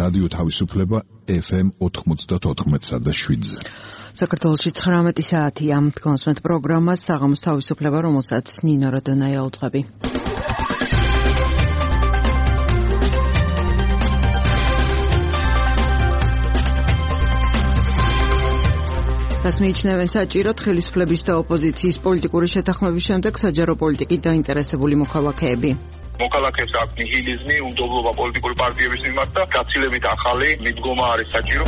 რადიო თავისუფლება FM 94.7-ზე. საქართველოში 19 საათია. კონსმეთ პროგრამა საღამოს თავისუფლება, რომელსაც ნინო როდონაია უძღვები. მიიჩნევენ საჭიროდ ხელისუფლების და ოპოზიციის პოლიტიკური შეთანხმების შემდეგ საჯარო პოლიტიკით დაინტერესებული მოქალაქეები. მოქალაქეებს აქვს ნიჰილიზმი, უნდობლობა პოლიტიკური პარტიების მიმართ და გაცილებით ახალი მიდგომა არის საჭირო.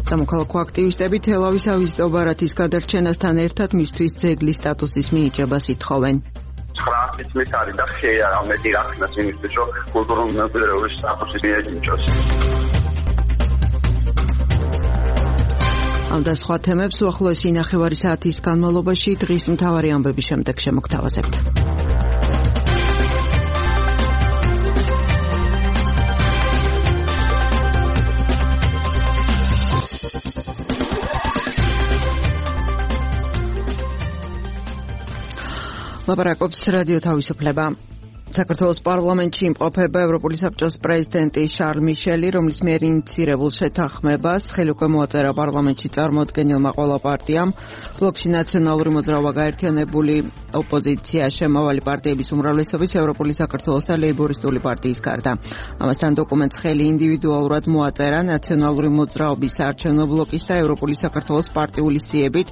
სამოქალაქო აქტივისტები თელავის ავიზიტო ბარათის გადარჩენასთან ერთად მისთვის ძეგლის სტატუსის მინიჭებას ითხოვენ. 9 წლის არის და ხეა ამეთი რახნას იმისთვის რომ კულტურული მემკვიდრეობის სტატუსი მიეწინჭოს. ამ და სხვა თემებს უახლოესი ნახევარი საათის განმავლობაში დღის მთავარი ამბების შემდეგ შემოგთავაზებთ. ლაპარაკობს რადიო თავისუფლება. საქართველოს პარლამენტში იმყოფება ევროპული საბჭოს პრეზიდენტი შარლ მიშელი, რომლის მიერ ინიციირებულ შეთანხმებას ხელი უკვე მოაწერა პარლამენტში წარმოადგენელმა ყველა პარტიამ. ბლოკში ნაციონალური მოძრაობა, გაერთიანებული ოპოზიცია, შემავალი პარტიების უმრავლესობის, ევროპული საქართველოს და ლეიბორისტული პარტიის გარდა. ამასთან დოკუმენტს ხელი ინდივიდუალურად მოაწერა ნაციონალური მოძრაობის საარჩევნო ბლოკის და ევროპული საქართველოს პარტიული სიებით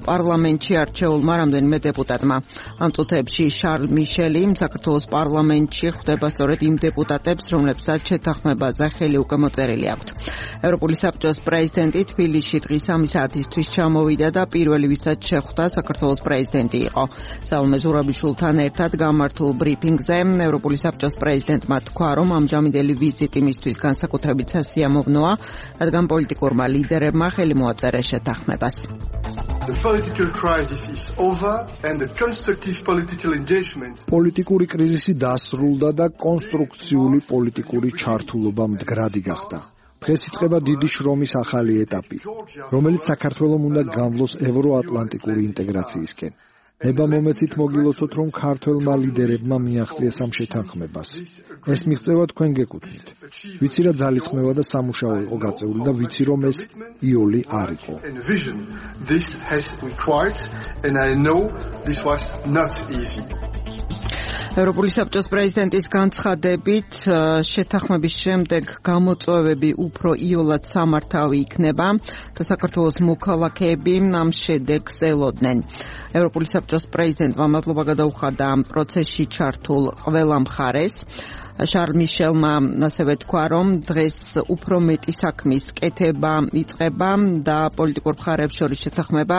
პარლამენტში არჩეულმა რამდენიმე დეპუტატმა. ამ წუთებში შარლ მიშელი საქართველოს პარლამენტში ხვდება სწორედ იმ დეპუტატებს, რომლებსაც შეთანხმებაზე ხელი უკვე მოწერილი აქვთ. ევროპული საბჭოს პრეზიდენტი თბილისში დღის 3 საათისთვის ჩამოვიდა და პირველი, ვისაც შეხვდა, საქართველოს პრეზიდენტი იყო. სალომე ზურაბიშვილთან ერთად გამართულ ბრიფინგზე ევროპული საბჭოს პრეზიდენტმა თქვა, რომ ამჟამინდელი ვიზიტი მისთვის განსაკუთრებით სასიამოვნოა, რადგან პოლიტიკურმა ლიდერებმა ხელი მოაწერეს შეთანხმებას. The political crisis is over and the constructive political engagement. პოლიტიკური კრიზისი დასრულდა და კონსტრუქციული პოლიტიკური ჩართულობა მდგრადი გახდა. დღეს იწყება დიდი შრომის ახალი ეტაპი, რომელიც საქართველოს უნდა გამვლოს ევროატლანტიკური ინტეგრაციისკენ. ნება მომეცით მოგილოცოთ, რომ ქართველმა ლიდერებმა მიაღწიეს ამ შეთანხმებას. ეს მიღწევა თქვენ გეკუთვნით. ვიცი რა ძალისხმევა და სამუშაო იყო გაწეული და ვიცი რომ ეს იოლი არ იყო. This has required and I know this was not easy. ევროპული საბჭოს პრეზიდენტის განცხადებით შეთანხმების შემდეგ გამოწვევები უფრო იოლად სამართავი იქნება და საქართველოს მოქალაქეები ამ შედეგს ელოდნენ. ევროპული საბჭოს პრეზიდენტმა მადლობა გადაუხადა ამ პროცესში ჩართულ ყველა მხარეს. შარლ მიშელმა ასევე თქვა, რომ დღეს უფრო მეტი საქმის კეთება იწყება და პოლიტიკურ მხარებს შორის შეთანხმება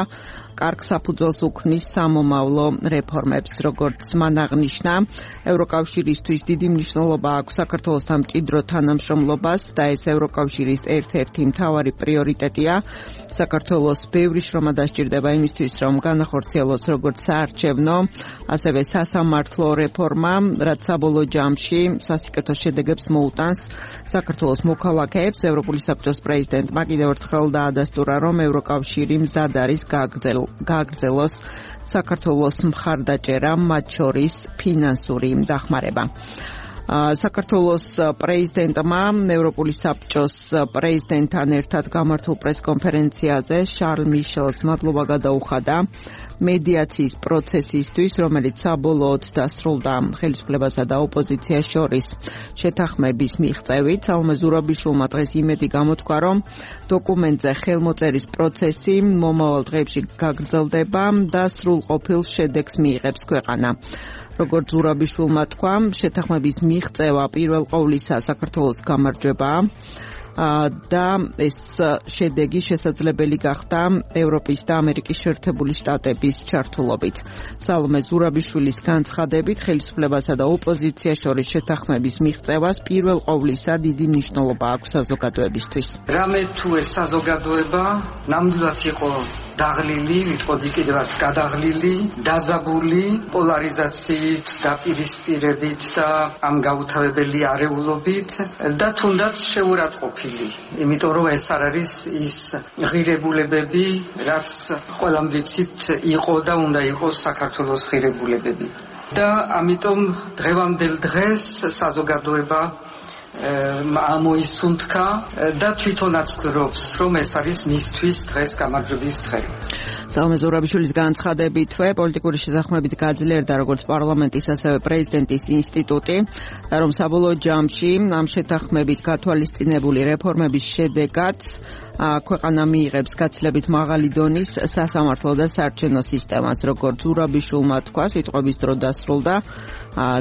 კარგ საფუძველს უქმნის სამომავლო რეფორმებს. როგორც მან აღნიშნა, ევროკავშირისთვის დიდი მნიშვნელობა აქვს საქართველოსთან მჭიდრო თანამშრომლობას და ეს ევროკავშირის ერთ-ერთი მთავარი პრიორიტეტია. საქართველოს ბევრი შრომა დასჭირდება იმისთვის, რომ განახორციელოს როგორც საარჩევნო, ასევე სასამართლო რეფორმა, რაც საბოლოო ჯამში სასიკეთო შედეგებს მოუტანს საქართველოს მოქალაქეებს. ევროპული საბჭოს პრეზიდენტმა კიდევ ერთხელ დაადასტურა, რომ ევროკავშირი მზად არის გააგრძელოს საქართველოს მხარდაჭერა, მათ შორის ფინანსური დახმარება. საქართველოს პრეზიდენტმა ევროპული საბჭოს პრეზიდენტთან ერთად გამართულ პრესკონფერენციაზე შარლ მიშელს მადლობა გადაუხადა მედიაციის პროცესისთვის, რომელიც საბოლოოდ დასრულდა ხელისუფლებასა და ოპოზიციას შორის შეთანხმების მიღწევით. სალომე ზურაბიშვილმა დღეს იმედი გამოთქვა, რომ დოკუმენტზე ხელმოწერის პროცესი მომავალ დღეებში გაგრძელდება და სრულყოფილ შედეგს მიიღებს ქვეყანა. როგორც ზურაბიშვილმა თქვა, შეთანხმების მიღწევა პირველ ყოვლისა საქართველოს გამარჯვებაა და ეს შედეგი შესაძლებელი გახდა ევროპის და ამერიკის შეერთებული შტატების ჩართულობით. სალომე ზურაბიშვილის განცხადებით, ხელისუფლებასა და ოპოზიციას შორის შეთანხმების მიღწევას პირველ ყოვლისა დიდი მნიშვნელობა აქვს საზოგადოებისთვის. რამე თუ ეს საზოგადოება ნამდვილად იყო დაღლილი, ვიტყოდი კიდევაც გადაღლილი, დაძაბული პოლარიზაციით, დაპირისპირებით და ამ გაუთავებელი არეულობით და თუნდაც შეურაცხყოფილი. იმიტომ რომ ეს არ არის ის ღირებულებები, რაც ყველამ ვიცით იყო და უნდა იყოს საქართველოს ღირებულებები. და ამიტომ დღევანდელ დღეს საზოგადოება ამოისუნთქა და თვითონაც გრობს, რომ ეს არის მისთვის დღეს გამარჯვების დღე. საომე ზურაბიშვილის განცხადებითვე პოლიტიკური შეთანხმებით გაძლიერდა როგორც პარლამენტის, ასევე პრეზიდენტის ინსტიტუტი და რომ საბოლოო ჯამში ამ შეთანხმებით გათვალისწინებული რეფორმების შედეგად ქვეყანა მიიღებს გაცილებით მაღალი დონის სასამართლო და საარჩევნო სისტემას, როგორც ზურაბიშვილმა თქვა, სიტყვების დრო დასრულდა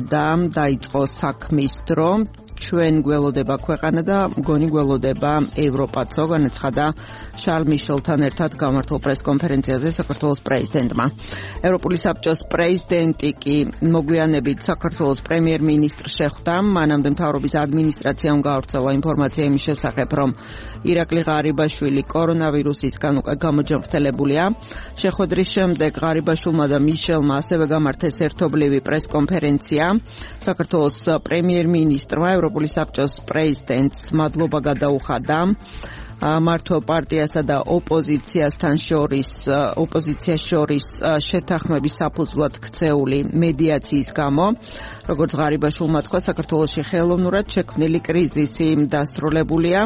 და დაიწყო საქმის დრო. ჩვენ გველოდება ქვეყანა და მგონი გველოდება ევროპაცო, განაცხადა შარლ მიშელთან ერთად გამართულ პრესკონფერენციაზე საქართველოს პრეზიდენტმა. ევროპული საბჭოს პრეზიდენტი კი მოგვიანებით საქართველოს პრემიერ-მინისტრს შეხვდა. მანამდე მთავრობის ადმინისტრაციამ გაავრცელა ინფორმაცია იმის შესახებ, რომ ირაკლი ღარიბაშვილი კორონავირუსისგან უკვე გამოჯანმრთელებულია. შეხვედრის შემდეგ ღარიბაშვილმა და მიშელმა ასევე გამართეს ერთობლივი პრესკონფერენცია. საქართველოს პრემიერ-მინისტრმა ევროპული საბჭოს პრეზიდენტს მადლობა გადაუხადა მართლ პარტიასა და ოპოზიციასთან შორის შეთანხმების საფუძვლად ქცეული მედიაციის გამო. როგორც ღარიბაშვილმა თქვა, საქართველოში ხელოვნურად შექმნილი კრიზისი დასრულებულია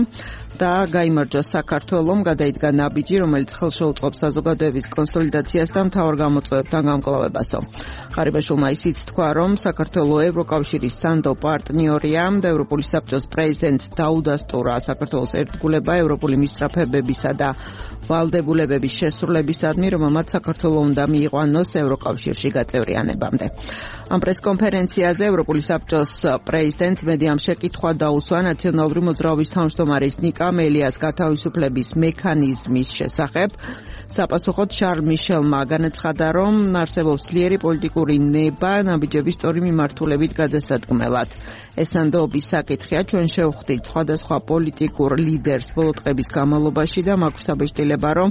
და გაიმარჯვა საქართველომ, გადაიდგა ნაბიჯი, რომელიც ხელშეუწყობს საზოგადოების კონსოლიდაციას და მთავარ გამოწვევებთან გამკლავებასო. ღარიბაშვილმა ისიც თქვა, რომ საქართველო ევროკავშირის სანდო პარტნიორია და ევროპული საბჭოს პრეზიდენტს დაუდასტურა საქართველოს ერთგულება ევროპული მისწრაფებებისა და ვალდებულებების შესრულებისადმი, რომელმაც საქართველო უნდა მიიყვანოს ევროკავშირში გაწევრიანებამდე. ამ პრესკონფერენციაზე ევროპული საბჭოს პრეზიდენტს მედიამ შეკითხვა დაუსვა ნაციონალური მოძრაობის თავმჯდომარის ნიკა მელიას გათავისუფლების მექანიზმის შესახებ. საპასუხოდ შარლ მიშელმა განაცხადა, რომ არსებობს ძლიერი პოლიტიკური ნება ნაბიჯების სწორი მიმართულებით გადასადგმელად. ეს ნამდვილობის საკითხია, ჩვენ შევხვდით სხვადასხვა პოლიტიკურ ლიდერს ბოლო დღების განმავლობაში და მაქვს დაბეჭდილება, რომ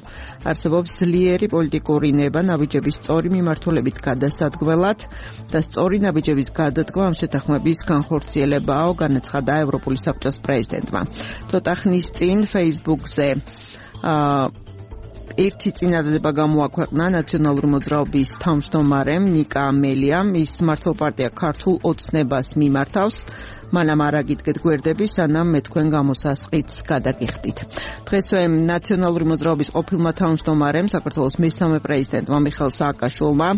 არსებობს ძლიერი პოლიტიკური ნება ნაბიჯების სწორი მიმართულებით გადასადგმელად და სწორი ნაბიჯების გადადგმა ამ შეთანხმების განხორციელებაო, განაცხადა ევროპული საბჭოს პრეზიდენტმა. ცოტა ხნის წინ Facebook-ზე ერთი წინადადება გამოაქვეყნა ნაციონალური მოძრაობის თავმჯდომარემ ნიკა მელიამ. ის მართლ პარტია ქართულ ოცნებას მიმართავს. მანამ არ აგიდგეთ გვერდები, სანამ მე თქვენ გამოსასყიდს გადაგიხდით. დღესვე ნაციონალური მოძრაობის ყოფილმა თავმჯდომარემ, საქართველოს მესამე პრეზიდენტმა მიხეილ სააკაშვილმა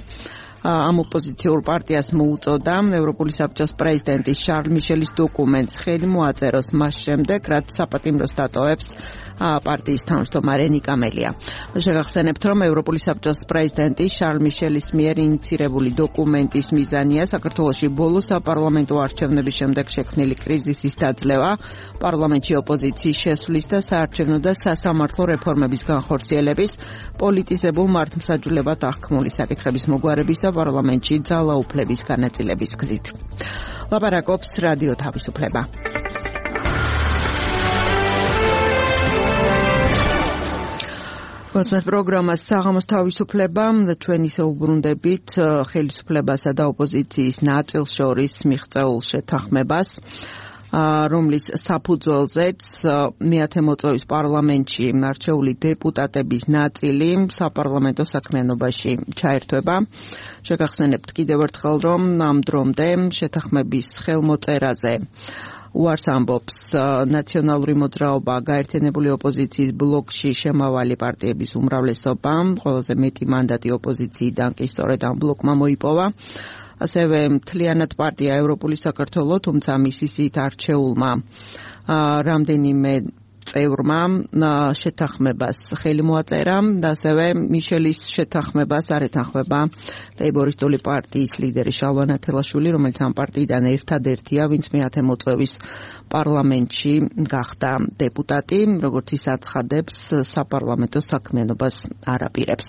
ამ ოპოზიციურ პარტიას მოუწოდა ევროპული საბჭოს პრეზიდენტის შარლ მიშელის დოკუმენტს ხელი მოაწეროს მას შემდეგ, რაც საპატიმროს დატოვებს პარტიის თავმჯდომარე ნიკა მელია. შეგახსენებთ, რომ ევროპული საბჭოს პრეზიდენტის შარლ მიშელის მიერ ინიცირებული დოკუმენტის მიზანია საქართველოში ბოლო საპარლამენტო არჩევნების შემდეგ შექმნილი კრიზისის დაძლევა, პარლამენტში ოპოზიციის შესვლის და საარჩევნო და სასამართლო რეფორმების განხორციელების, პოლიტიზებულ მართლმსაჯულებად აღქმული საკითხების მოგვარების და პარლამენტში ძალაუფლების განაწილების გზით. ლაპარაკობს რადიო თავისუფლება. გასვათ პროგრამას საღამოს თავისუფლება და ჩვენ ისე უბრუნდებით ხელისუფლებასა და ოპოზიციის ნაწილს შორის მიღწეულ შეთანხმებას, რომლის საფუძველზეც მეათე მოწვევის პარლამენტში არჩეული დეპუტატების ნაწილი საპარლამენტო საქმიანობაში ჩაერთვება. შეგახსენებთ კიდევ ერთხელ, რომ ამ დრომდე შეთანხმების ხელმოწერაზე უარს ამბობს ნაციონალური მოძრაობა, გაერთიანებული ოპოზიციის ბლოკში შემავალი პარტიების უმრავლესობა, ყველაზე მეტი მანდატი ოპოზიციიდან კი სწორედ ამ ბლოკმა მოიპოვა. ასევე მთლიანად პარტია ევროპული საქართველო, თუმცა მისი სიით არჩეულმა რამდენიმე წევრმა შეთანხმებას ხელი მოაწერა და ასევე მიშელის შეთანხმებას არ ეთანხმება ლეიბორისტული პარტიის ლიდერი შალვა ნათელაშვილი, რომელიც ამ პარტიიდან ერთადერთია, ვინც მეათე მოწვევის პარლამენტში გახდა დეპუტატი, როგორც ის აცხადებს, საპარლამენტო საქმიანობას არ აპირებს.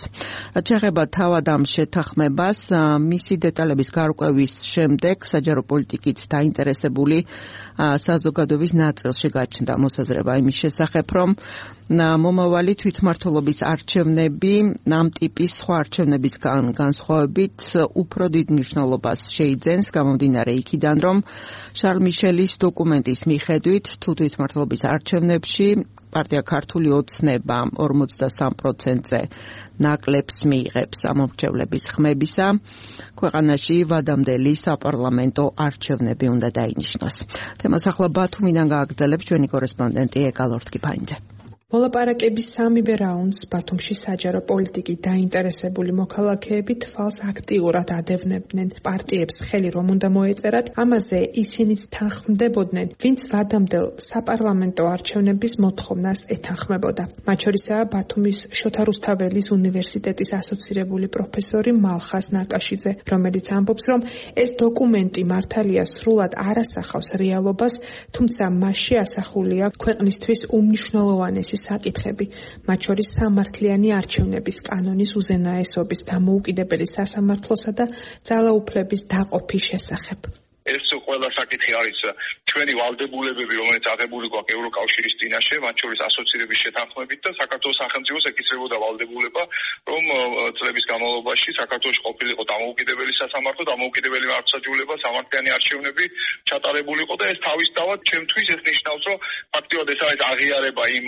რაც შეეხება თავად ამ შეთანხმებას, მისი დეტალების გარკვევის შემდეგ საჯარო პოლიტიკით დაინტერესებული საზოგადოების ნაწილში გაჩნდა მოსაზრება იმის შესახებ, რომ მომავალი თვითმმართველობის არჩევნები ამ ტიპის სხვა არჩევნებისგან განსხვავებით უფრო დიდ მნიშვნელობას შეიძენს გამომდინარე იქიდან, რომ შარლ მიშელის დოკუმენტის მიხედვით თუ თვითმმართველობის არჩევნებში პარტია ქართული ოცნება 53%-ზე ნაკლებს მიიღებს ამომრჩევლების ხმებისა, ქვეყანაში ვადამდელი საპარლამენტო არჩევნები უნდა დაინიშნოს. თემას ახლა ბათუმიდან გააგრძელებს ჩვენი კორესპონდენტი ეკალორთკიფაინძე. მოლაპარაკების სამივე რაუნდს ბათუმში საჯარო პოლიტიკით დაინტერესებული მოქალაქეები თვალს აქტიურად ადევნებდნენ. პარტიებს ხელი რომ უნდა მოეწერათ, ამაზე ისინიც თანხმდებოდნენ, ვინც ვადამდელ საპარლამენტო არჩევნების მოთხოვნას ეთანხმებოდა. მათ შორისაა ბათუმის შოთა რუსთაველის უნივერსიტეტის ასოცირებული პროფესორი მალხას ნაკაშიძე, რომელიც ამბობს, რომ ეს დოკუმენტი მართალია სრულად არ ასახავს რეალობას, თუმცა მასში ასახულია ქვეყნისთვის უმნიშვნელოვანესი საკითხები, მათ შორის სამართლიანი არჩევნების კანონის უზენაესობის, დამოუკიდებელი სასამართლოსა და ძალაუფლების დაყოფის შესახებ. ეს ყველა საკითხი არის ჩვენი ვალდებულებები, რომელიც აღებული გვაქვს ევროკავშირის წინაშე, მათ შორის ასოცირების შეთანხმებით და საქართველოს სახელმწიფოს ეკისრებოდა ვალდებულება, რომ წლების განმავლობაში საქართველოში ყოფილიყო დამოუკიდებელი სასამართლო, დამოუკიდებელი მართლმსაჯულება, სამართლიანი არჩევნები ჩატარებულიყო და ეს თავისთავად ჩემთვის ეს ნიშნავს, რომ ფაქტიურად ეს არის აღიარება იმ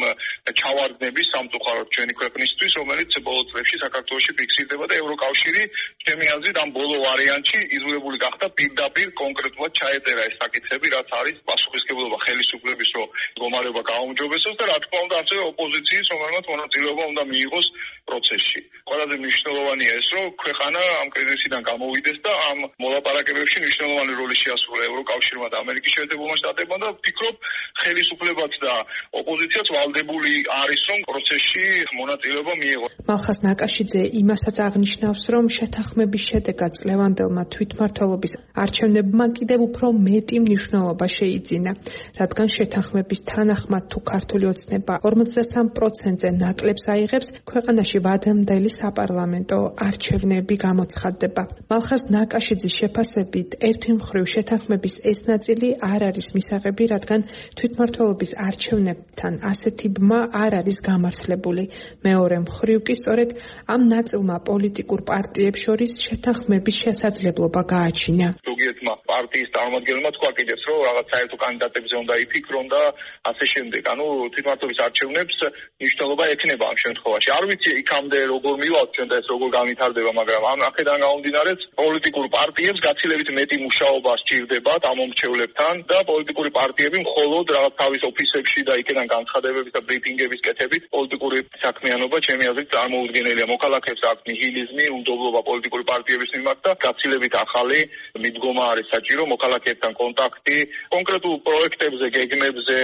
ჩავარდნების სამწუხაროდ ჩვენი ქვეყნისთვის, რომელიც ბოლო წლებში საქართველოში ფიქსირდება და ევროკავშირი ჩემი აზრით ამ ბოლო ვარიანტში იზოლებული გახდა პირდაპირ კონკრეტულად ჩაეწერა ეს საკითხები, რაც არის პასუხისმგებლობა ხელისუფლების, რომ მდგომარეობა გაუმჯობესოს და რა თქმა უნდა ასევე ოპოზიციის, რომელმაც მონაწილეობა უნდა მიიღოს პროცესში. ყველაზე მნიშვნელოვანია ეს, რომ ქვეყანა ამ კრიზისიდან გამოვიდეს და ამ მოლაპარაკებებში მნიშვნელოვანი როლი შეასრულა ევროკავშირმა და ამერიკის შეერთებულმა შტატებმა და ვფიქრობ, ხელისუფლებაც და ოპოზიციაც ვალდებული არის, რომ პროცესში მონაწილეობა მიიღოს. მალხას ნაკაშიძე იმასაც აღნიშნავს, რომ შეთანხმების შედეგად წლევანდელმა თვითმმართველობის არჩევნებმა კიდევ უფრო მეტი მნიშვნელობა შეიძინა, რადგან შეთანხმების თანახმად თუ ქართული ოცნება 53%-ზე ნაკლებს აიღებს, ქვეყანაში ვადამდელი საპარლამენტო არჩევნები გამოცხადდება. მალხას ნაკაშიძის შეფასებით, ერთი მხრივ შეთანხმების ეს ნაწილი არ არის მისაღები, რადგან თვითმმართველობის არჩევნებთან ასეთი ბმა არ არის გამართლებული. მეორე მხრივ კი სწორედ ამ ნაწილმა პოლიტიკურ პარტიებს შორის შეთანხმების შესაძლებლობა გააჩინა. ზოგიერთმა პარტიის წარმომადგენელმა თქვა კიდეც, რომ რაღაც საერთო კანდიდატებზე უნდა იფიქრონ და ასე შემდეგ. ანუ თვითმმართველობის არჩევნებს მნიშვნელობა ექნება ამ შემთხვევაში. არ ვიცი იქამდე როგორ მივალთ ჩვენ და ეს როგორ განვითარდება, მაგრამ ამ აქედან გამომდინარეც პოლიტიკურ პარტიებს გაცილებით მეტი მუშაობა სჭირდებათ ამ მომრჩევლებთან და პოლიტიკური პარტიები მხოლოდ რაღაც თავის ოფისებში და იქიდან განცხადებების და ბრიფინგების კეთებით პოლიტიკური საქმიანობა ჩემი აზრით წარმოუდგენელია. მოქალაქეებს აქვს ნიჰილიზმი, უნდობლობა პოლიტიკური პარტიების მიმართ და გაცილებით ახალი მიდგომა არის საჭირო, მოქალაქეებთან კონტაქტი, კონკრეტულ პროექტებზე, გეგმებზე,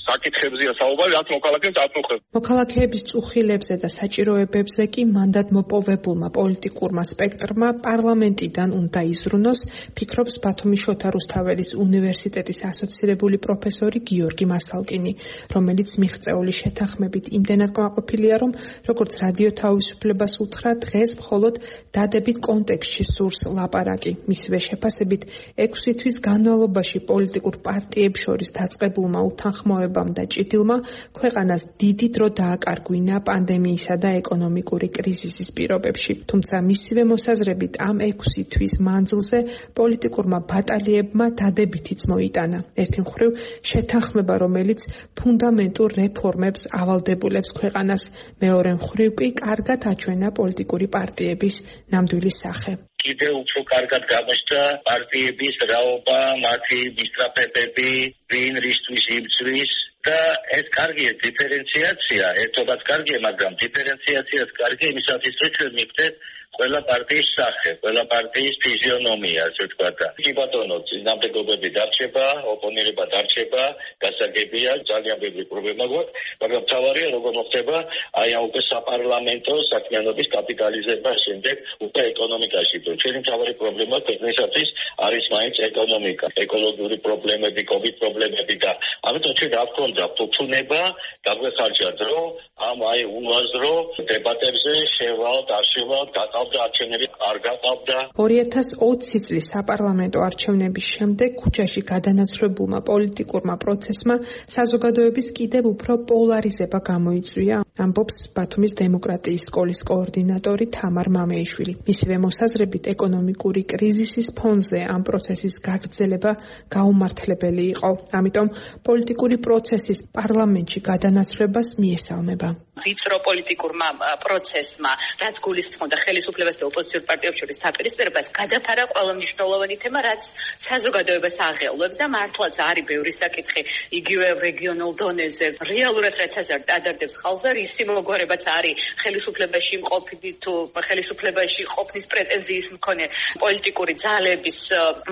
საკითხებზეა საუბარი, რაც მოქალაქეებს აწუხებს. მოქალაქეების წუხილებზე და საჭიროებებზე კი მანდატმოპოვებულმა პოლიტიკურმა სპექტრმა პარლამენტიდან უნდა იზრუნოს, ფიქრობს ბათუმის შოთა რუსთაველის უნივერსიტეტის ასოცირებული პროფესორი გიორგი მასალკინი, რომელიც მიღწეული შეთანხმებით იმდენად კმაყოფილია, რომ როგორც რადიო თავისუფლებას უთხრა, დღეს მხოლოდ დადებით კონტექსტში სურს ლაპარაკი. მისივე შეფასებით 6 თვის განმავლობაში პოლიტიკურ პარტიებს შორის დაწყებულმა უთანხმოებამ და ჭიდილმა ქვეყანას დიდი დრო დააკარგვინა პანდემიისა და ეკონომიკური კრიზისის პირობებში. თუმცა მისივე მოსაზრებით ამ 6 თვის მანძილზე პოლიტიკურმა ბატალიებმა დადებითიც მოიტანა. ერთი მხრივ შეთანხმება, რომელიც ფუნდამენტურ რეფორმებს ავალდებულებს ქვეყანას, მეორე მხრივ კი კარგად აჩვენა პოლიტიკური პარტიების ნამდვილი სახე. კიდევ უფრო კარგად გამოჩნდა პარტიების რაობა, მათი მისწრაფებები, ვინ რისთვის იბრძვის და ეს კარგია დიფერენციაცია, ერთობაც კარგია, მაგრამ დიფერენციაციაც კარგია იმისათვის, რომ ჩვენ მივხვდეთ ყველა პარტიის სახე, ყველა პარტიის ფიზიონომია, ასე ვთქვათ. კი ბატონო, წინამდებობები დარჩება, ოპონირება დარჩება, გასაგებია, ძალიან ბევრი პრობლემა გვაქვს, მაგრამ თავარია როგორ მოხდება აი ამ უკვე საპარლამენტო საქმიანობის კაპიტალიზება შემდეგ უკვე ეკონომიკაში. ჩვენი თავარი პრობლემა ქვეყნისათვის არის მაინც ეკონომიკა, ეკოლოგიური პრობლემები, კოვიდ პრობლემები და ამიტომ ჩვენ რა ვქონდა ფუფუნება, დაგვეხარჯა დრო ამ აი უაზრო დებატებზე შევალთ, არ შევალთ, გაყავდა არჩევნები, არ გაყავდა. 2020 წლის საპარლამენტო არჩევნების შემდეგ ქუჩაში გადანაცვლებულმა პოლიტიკურმა პროცესმა საზოგადოების კიდევ უფრო პოლარიზება გამოიწვია, ამბობს ბათუმის დემოკრატიის სკოლის კოორდინატორი თამარ მამეიშვილი. მისივე მოსაზრებით ეკონომიკური კრიზისის ფონზე ამ პროცესის გაგრძელება გაუმართლებელი იყო. ამიტომ პოლიტიკური პროცესის პარლამენტში გადანაცვლებას მიესალმება. ვიწრო პოლიტიკურმა პროცესმა, რაც გულისხმობდა ხელისუფლებას და ოპოზიციურ პარტიებს შორის დაპირისპირებას, გადაფარა ყველა მნიშვნელოვანი თემა, რაც საზოგადოებას აღელვებს და მართლაც არის ბევრი საკითხი იგივე რეგიონულ დონეზე. რეალურად რაც ადარდებს ხალხს და ისი მოგვარებაც არის ხელისუფლებაში მყოფი თუ ხელისუფლებაში ყოფნის პრეტენზიის მქონე პოლიტიკური ძალების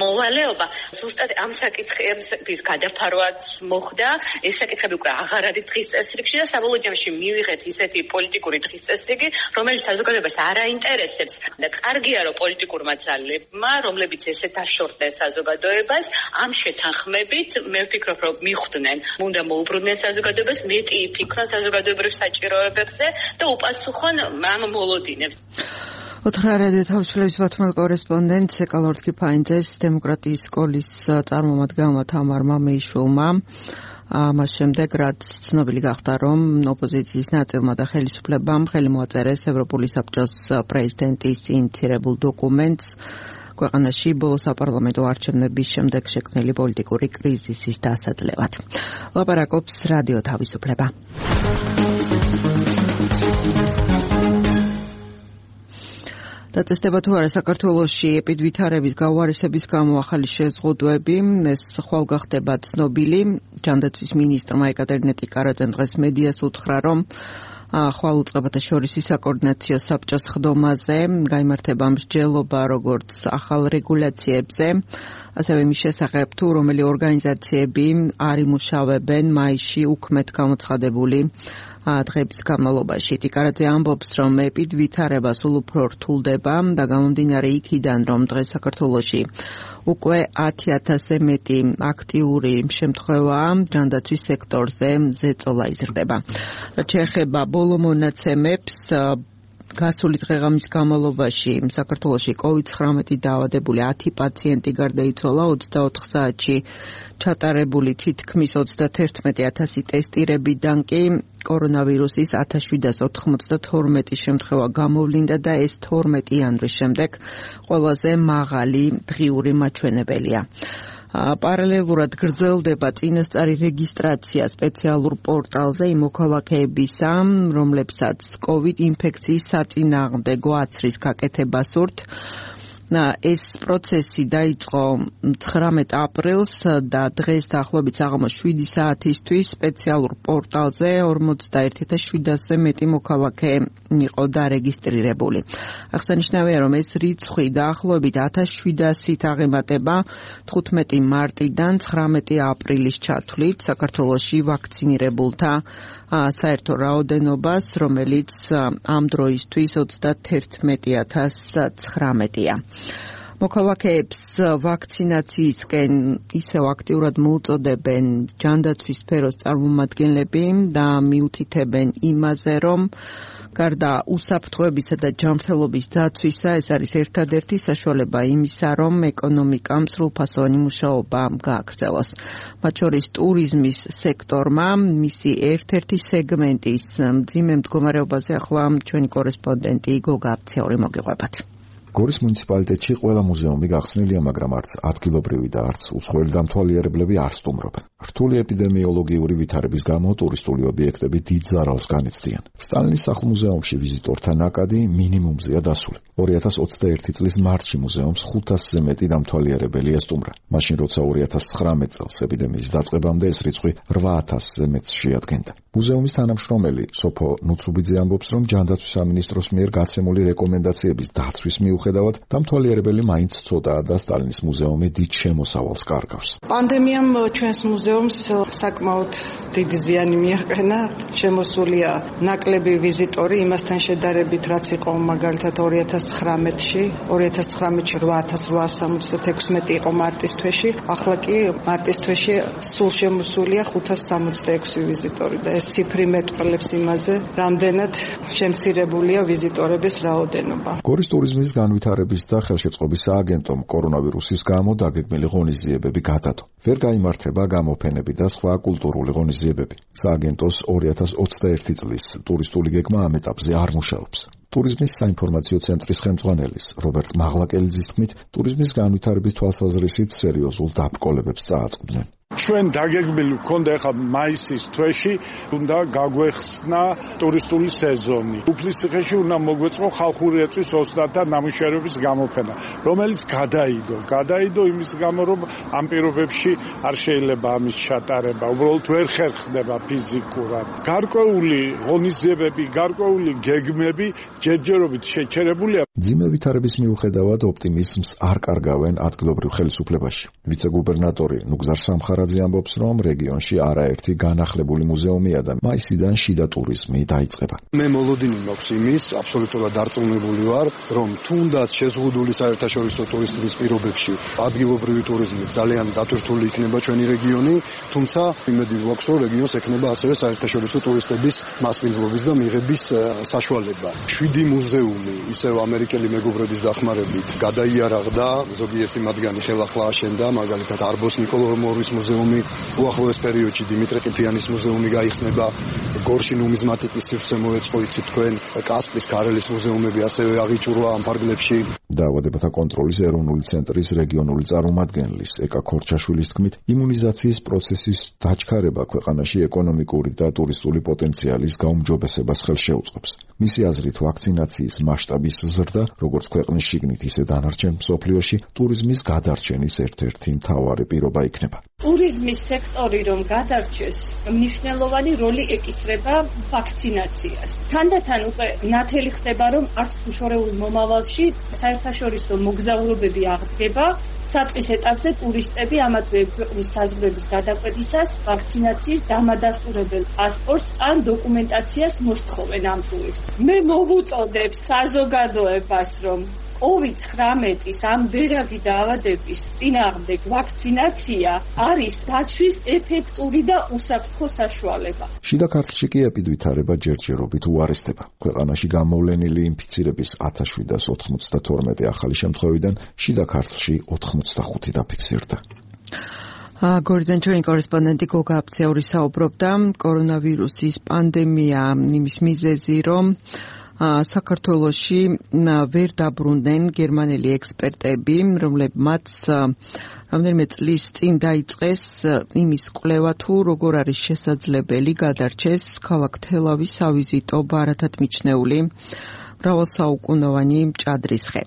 მოვალეობა. ზუსტად ამ საკითხების გადაფარვაც მოხდა. ეს საკითხები უკვე აღარ არის დღის წესრიგში და საბოლოო ჯამში მივიღეთ ისეთი პოლიტიკური დღის წესრიგი, რომელიც საზოგადოებას არ აინტერესებს და კარგია რომ პოლიტიკურმა ძალებმა, რომლებიც ესე დაშორდნენ საზოგადოებას, ამ შეთანხმებით მე ვფიქრობ რომ მიხვდნენ, უნდა მოუბრუნდნენ საზოგადოებას, მეტი იფიქრონ საზოგადოებრივ საჭიროებებზე და უპასუხონ ამ მოლოდინებს. ოთხრა რადიო თავისუფლების ბათუმელ კორესპონდენტ ეკალორდ კიფაინძეს დემოკრატიის სკოლის წარმომადგენელმა თამარ მამეიშვილმა მას შემდეგ რაც ცნობილი გახდა რომ ოპოზიციის ნაწილმა და ხელისუფლებამ ხელი მოაწერეს ევროპული საბჭოს პრეზიდენტის ინიციირებულ დოკუმენტს ქვეყანაში ბოლო საპარლამენტო არჩევნების შემდეგ შექმნილი პოლიტიკური კრიზისის დასაძლევად. ლაპარაკობს რადიო თავისუფლება. დაწესდება თუ არა საქართველოში ეპიდვითარების გაუარესების გამო ახალი შეზღუდვები, ეს ხვალ გახდება ცნობილი. ჯანდაცვის მინისტრმა ეკატერინე ტიკარაძემ დღეს მედიას უთხრა, რომ ხვალ უწყებათა შორის საკოორდინაციო საბჭოს ხდომაზე გაიმართება მსჯელობა როგორც ახალ რეგულაციებზე, ასევე მის შესახებ თუ რომელი ორგანიზაციები არ იმუშავებენ მაისში უქმეთ გამოცხადებული დღების განმავლობაში. ტიკარაძე ამბობს, რომ ეპიდვითარება სულ უფრო რთულდება და გამომდინარე იქიდან, რომ დღეს საქართველოში უკვე 10,000-ზე მეტი აქტიური შემთხვევაა, ჯანდაცვის სექტორზე ზეწოლა იზრდება. რაც შეეხება ბოლო მონაცემებს, გასული დღეღამის განმავლობაში საქართველოში COVID-19 დაავადებული 10 პაციენტი გარდაიცვალა, 24 საათში ჩატარებული თითქმის 31,000 ტესტირებიდან კი კორონავირუსის 1792 შემთხვევა გამოვლინდა და ეს 12 იანვრის შემდეგ ყველაზე მაღალი დღიური მაჩვენებელია. პარალელურად გრძელდება წინასწარი რეგისტრაცია სპეციალურ პორტალზე იმ მოქალაქეებისა, რომლებსაც COVID ინფექციის საწინააღმდეგო აცრის გაკეთება სურთ. ეს პროცესი დაიწყო 19 აპრილს და დღეს დაახლოებით საღამოს 7 საათისთვის სპეციალურ პორტალზე 41,700-ზე მეტი მოქალაქე იყო დარეგისტრირებული. აღსანიშნავია, რომ ეს რიცხვი დაახლოებით 1700-ით აღემატება 15 მარტიდან 19 აპრილის ჩათვლით საქართველოში ვაქცინირებულთა საერთო რაოდენობას, რომელიც ამ დროისთვის 31,019-ია. მოქალაქეებს ვაქცინაციისკენ ისევ აქტიურად მოუწოდებენ ჯანდაცვის სფეროს წარმომადგენლები და მიუთითებენ იმაზე, რომ გარდა უსაფრთხოებისა და ჯანმრთელობის დაცვისა, ეს არის ერთადერთი საშუალება იმისა, რომ ეკონომიკამ სრულფასოვანი მუშაობა გააგრძელოს. მათ შორის ტურიზმის სექტორმა მისი ერთ-ერთი სეგმენტის მძიმე მდგომარეობაზე ახლა ჩვენი კორესპონდენტი გოგა აბციური მოგიყვებათ. გორის მუნიციპალიტეტში ყველა მუზეუმი გახსნილია, მაგრამ არც ადგილობრივი და არც უცხოელი დამთვალიერებლები არ სტუმრობენ. რთული ეპიდემიოლოგიური ვითარების გამო ტურისტული ობიექტები დიდ ზარალს განიცდიან. სტალინის სახლ-მუზეუმში ვიზიტორთა ნაკადი მინიმუმზეა დასული. 2021 წლის მარტში მუზეუმს 500-ზე მეტი დამთვალიერებელი ესტუმრა. მაშინ როცა 2019 წელს ეპიდემიის დაწყებამდე ეს რიცხვი 8,000-ზე მეტს შეადგენდა. მუზეუმის თანამშრომელი სოფო ნუცუბიძე ამბობს, რომ ჯანდაცვის სამინისტროს მიერ გაცემული რეკომენდაციების დაცვის მიუხედავად მიუხედავად, დამთვალიერებელი მაინც ცოტაა და სტალინის მუზეუმი დიდ შემოსავალს კარგავს. პანდემიამ ჩვენს მუზეუმს საკმაოდ დიდი ზიანი მიაყენა. შემოსულია ნაკლები ვიზიტორი იმასთან შედარებით, რაც იყო მაგალითად 2019-ში 8876 იყო მარტის თვეში, ახლა კი მარტის თვეში სულ შემოსულია 566 ვიზიტორი და ეს ციფრი მეტყველებს იმაზე, რამდენად შემცირებულია ვიზიტორების რაოდენობა. გორის ტურიზმის განვითარების და ხელშეწყობის სააგენტომ კორონავირუსის გამო დაგეგმილი ღონისძიებები გადადო. ვერ გაიმართება გამოფენები და სხვა კულტურული ღონისძიებები. სააგენტოს 2021 წლის ტურისტული გეგმა ამ ეტაპზე არ მუშაობს. ტურიზმის საინფორმაციო ცენტრის ხელმძღვანელის რობერტ მაღლაკელიძის თქმით, ტურიზმის განვითარების თვალსაზრისით სერიოზულ დაბრკოლებებს წააწყდნენ. ჩვენ დაგეგმილი გვქონდა ახლა მაისის თვეში უნდა გაგვეხსნა ტურისტული სეზონი. უფლისციხეში უნდა მოგვეწყო ხალხური ეწვის ოსტატთა და ნამუშევრების გამოფენა, რომელიც გადაიდო იმის გამო, რომ ამ პირობებში არ შეიძლება ამის ჩატარება, უბრალოდ ვერ ხერხდება ფიზიკურად. გარკვეული ღონისძიებები, გარკვეული გეგმები ჯერჯერობით შეჩერებულია. მძიმე ვითარების მიუხედავად ოპტიმიზმს არ კარგავენ ადგილობრივ ხელისუფლებაში. ვიცე-გუბერნატორი ნუგზარ სამხარაძე ამბობს, რომ რეგიონში არაერთი განახლებული მუზეუმია და მაისიდან შიდა ტურიზმი დაიწყება. მე მოლოდინი მაქვს იმის, აბსოლუტურად დარწმუნებული ვარ, რომ თუნდაც შეზღუდული საერთაშორისო ტურისტების პირობებში ადგილობრივი ტურიზმი ძალიან დატვირთული იქნება ჩვენი რეგიონი, თუმცა იმედი გვაქვს, რომ რეგიონს ექნება ასევე საერთაშორისო ტურისტების მასპინძლობის და მიღების საშუალება. 7 მუზეუმი ისევ ამერიკელი მეგობრების დახმარებით გადაიარაღდა, ზოგიერთი მათგანი ხელახლა აშენდა, მაგალითად არბოს ნიკოლომორის მუზეუმი, უახლოეს პერიოდში დიმიტრი ყიფიანის მუზეუმი გაიხსნება, გორში ნუმიზმატიკის სივრცე მოეწყო, იცით თქვენ, კასპის ქარელის მუზეუმები ასევე აღიჭურვა ამ ფარგლებში. დაავადებათა კონტროლის ეროვნული ცენტრის რეგიონული წარმომადგენლის ეკა ქორჩაშვილის თქმით, იმუნიზაციის პროცესის დაჩქარება ქვეყანაში ეკონომიკური და ტურისტული პოტენციალის გაუმჯობესებას ხელშეუწყობს. მისი აზრით, ვაქცინაციის მასშტაბის ზრდა, როგორც ქვეყნის შიგნით, ისე დანარჩენ მსოფლიოში, ტურიზმის გადარჩენის ერთ-ერთი მთავარი პირობა იქნება. ტურიზმის სექტორი რომ გადარჩეს, მნიშვნელოვანი როლი ეკისრება ვაქცინაციას. თანდათან უკვე ნათელი ხდება, რომ არც თუ შორეულ მომავალში საერთაშორისო მოგზაურობები აღდგება, საწყის ეტაპზე ტურისტები ამათვე ქვეყნის საზღვრების გადაკვეთისას ვაქცინაციის დამადასტურებელ პასპორტს ან დოკუმენტაციას მოსთხოვენ ამ ტურისტს. მე მოვუწოდებ საზოგადოებას, რომ COVID-19 ამ ბერაგი დაავადების წინააღმდეგ ვაქცინაცია არის დაცვის ეფექტური და უსაფრთხო საშუალება. შიდა ქართლში კი ეპიდვითარება ჯერჯერობით უარესდება. ქვეყანაში გამოვლენილი ინფიცირების 1792 ახალი შემთხვევიდან შიდა ქართლში 85 დაფიქსირდა. გორიდან ჩვენი კორესპონდენტი გოგა აფციური საუბრობდა კორონავირუსის პანდემია იმის მიზეზი, რომ საქართველოში ვერ დაბრუნდნენ გერმანელი ექსპერტები, რომლებმაც რამდენიმე წლის წინ დაიწყეს იმის კვლევა თუ როგორ არის შესაძლებელი გადარჩეს ქალაქ თელავის სავიზიტო ბარათად მიჩნეული მრავალსაუკუნოვანი მჭადრისხე.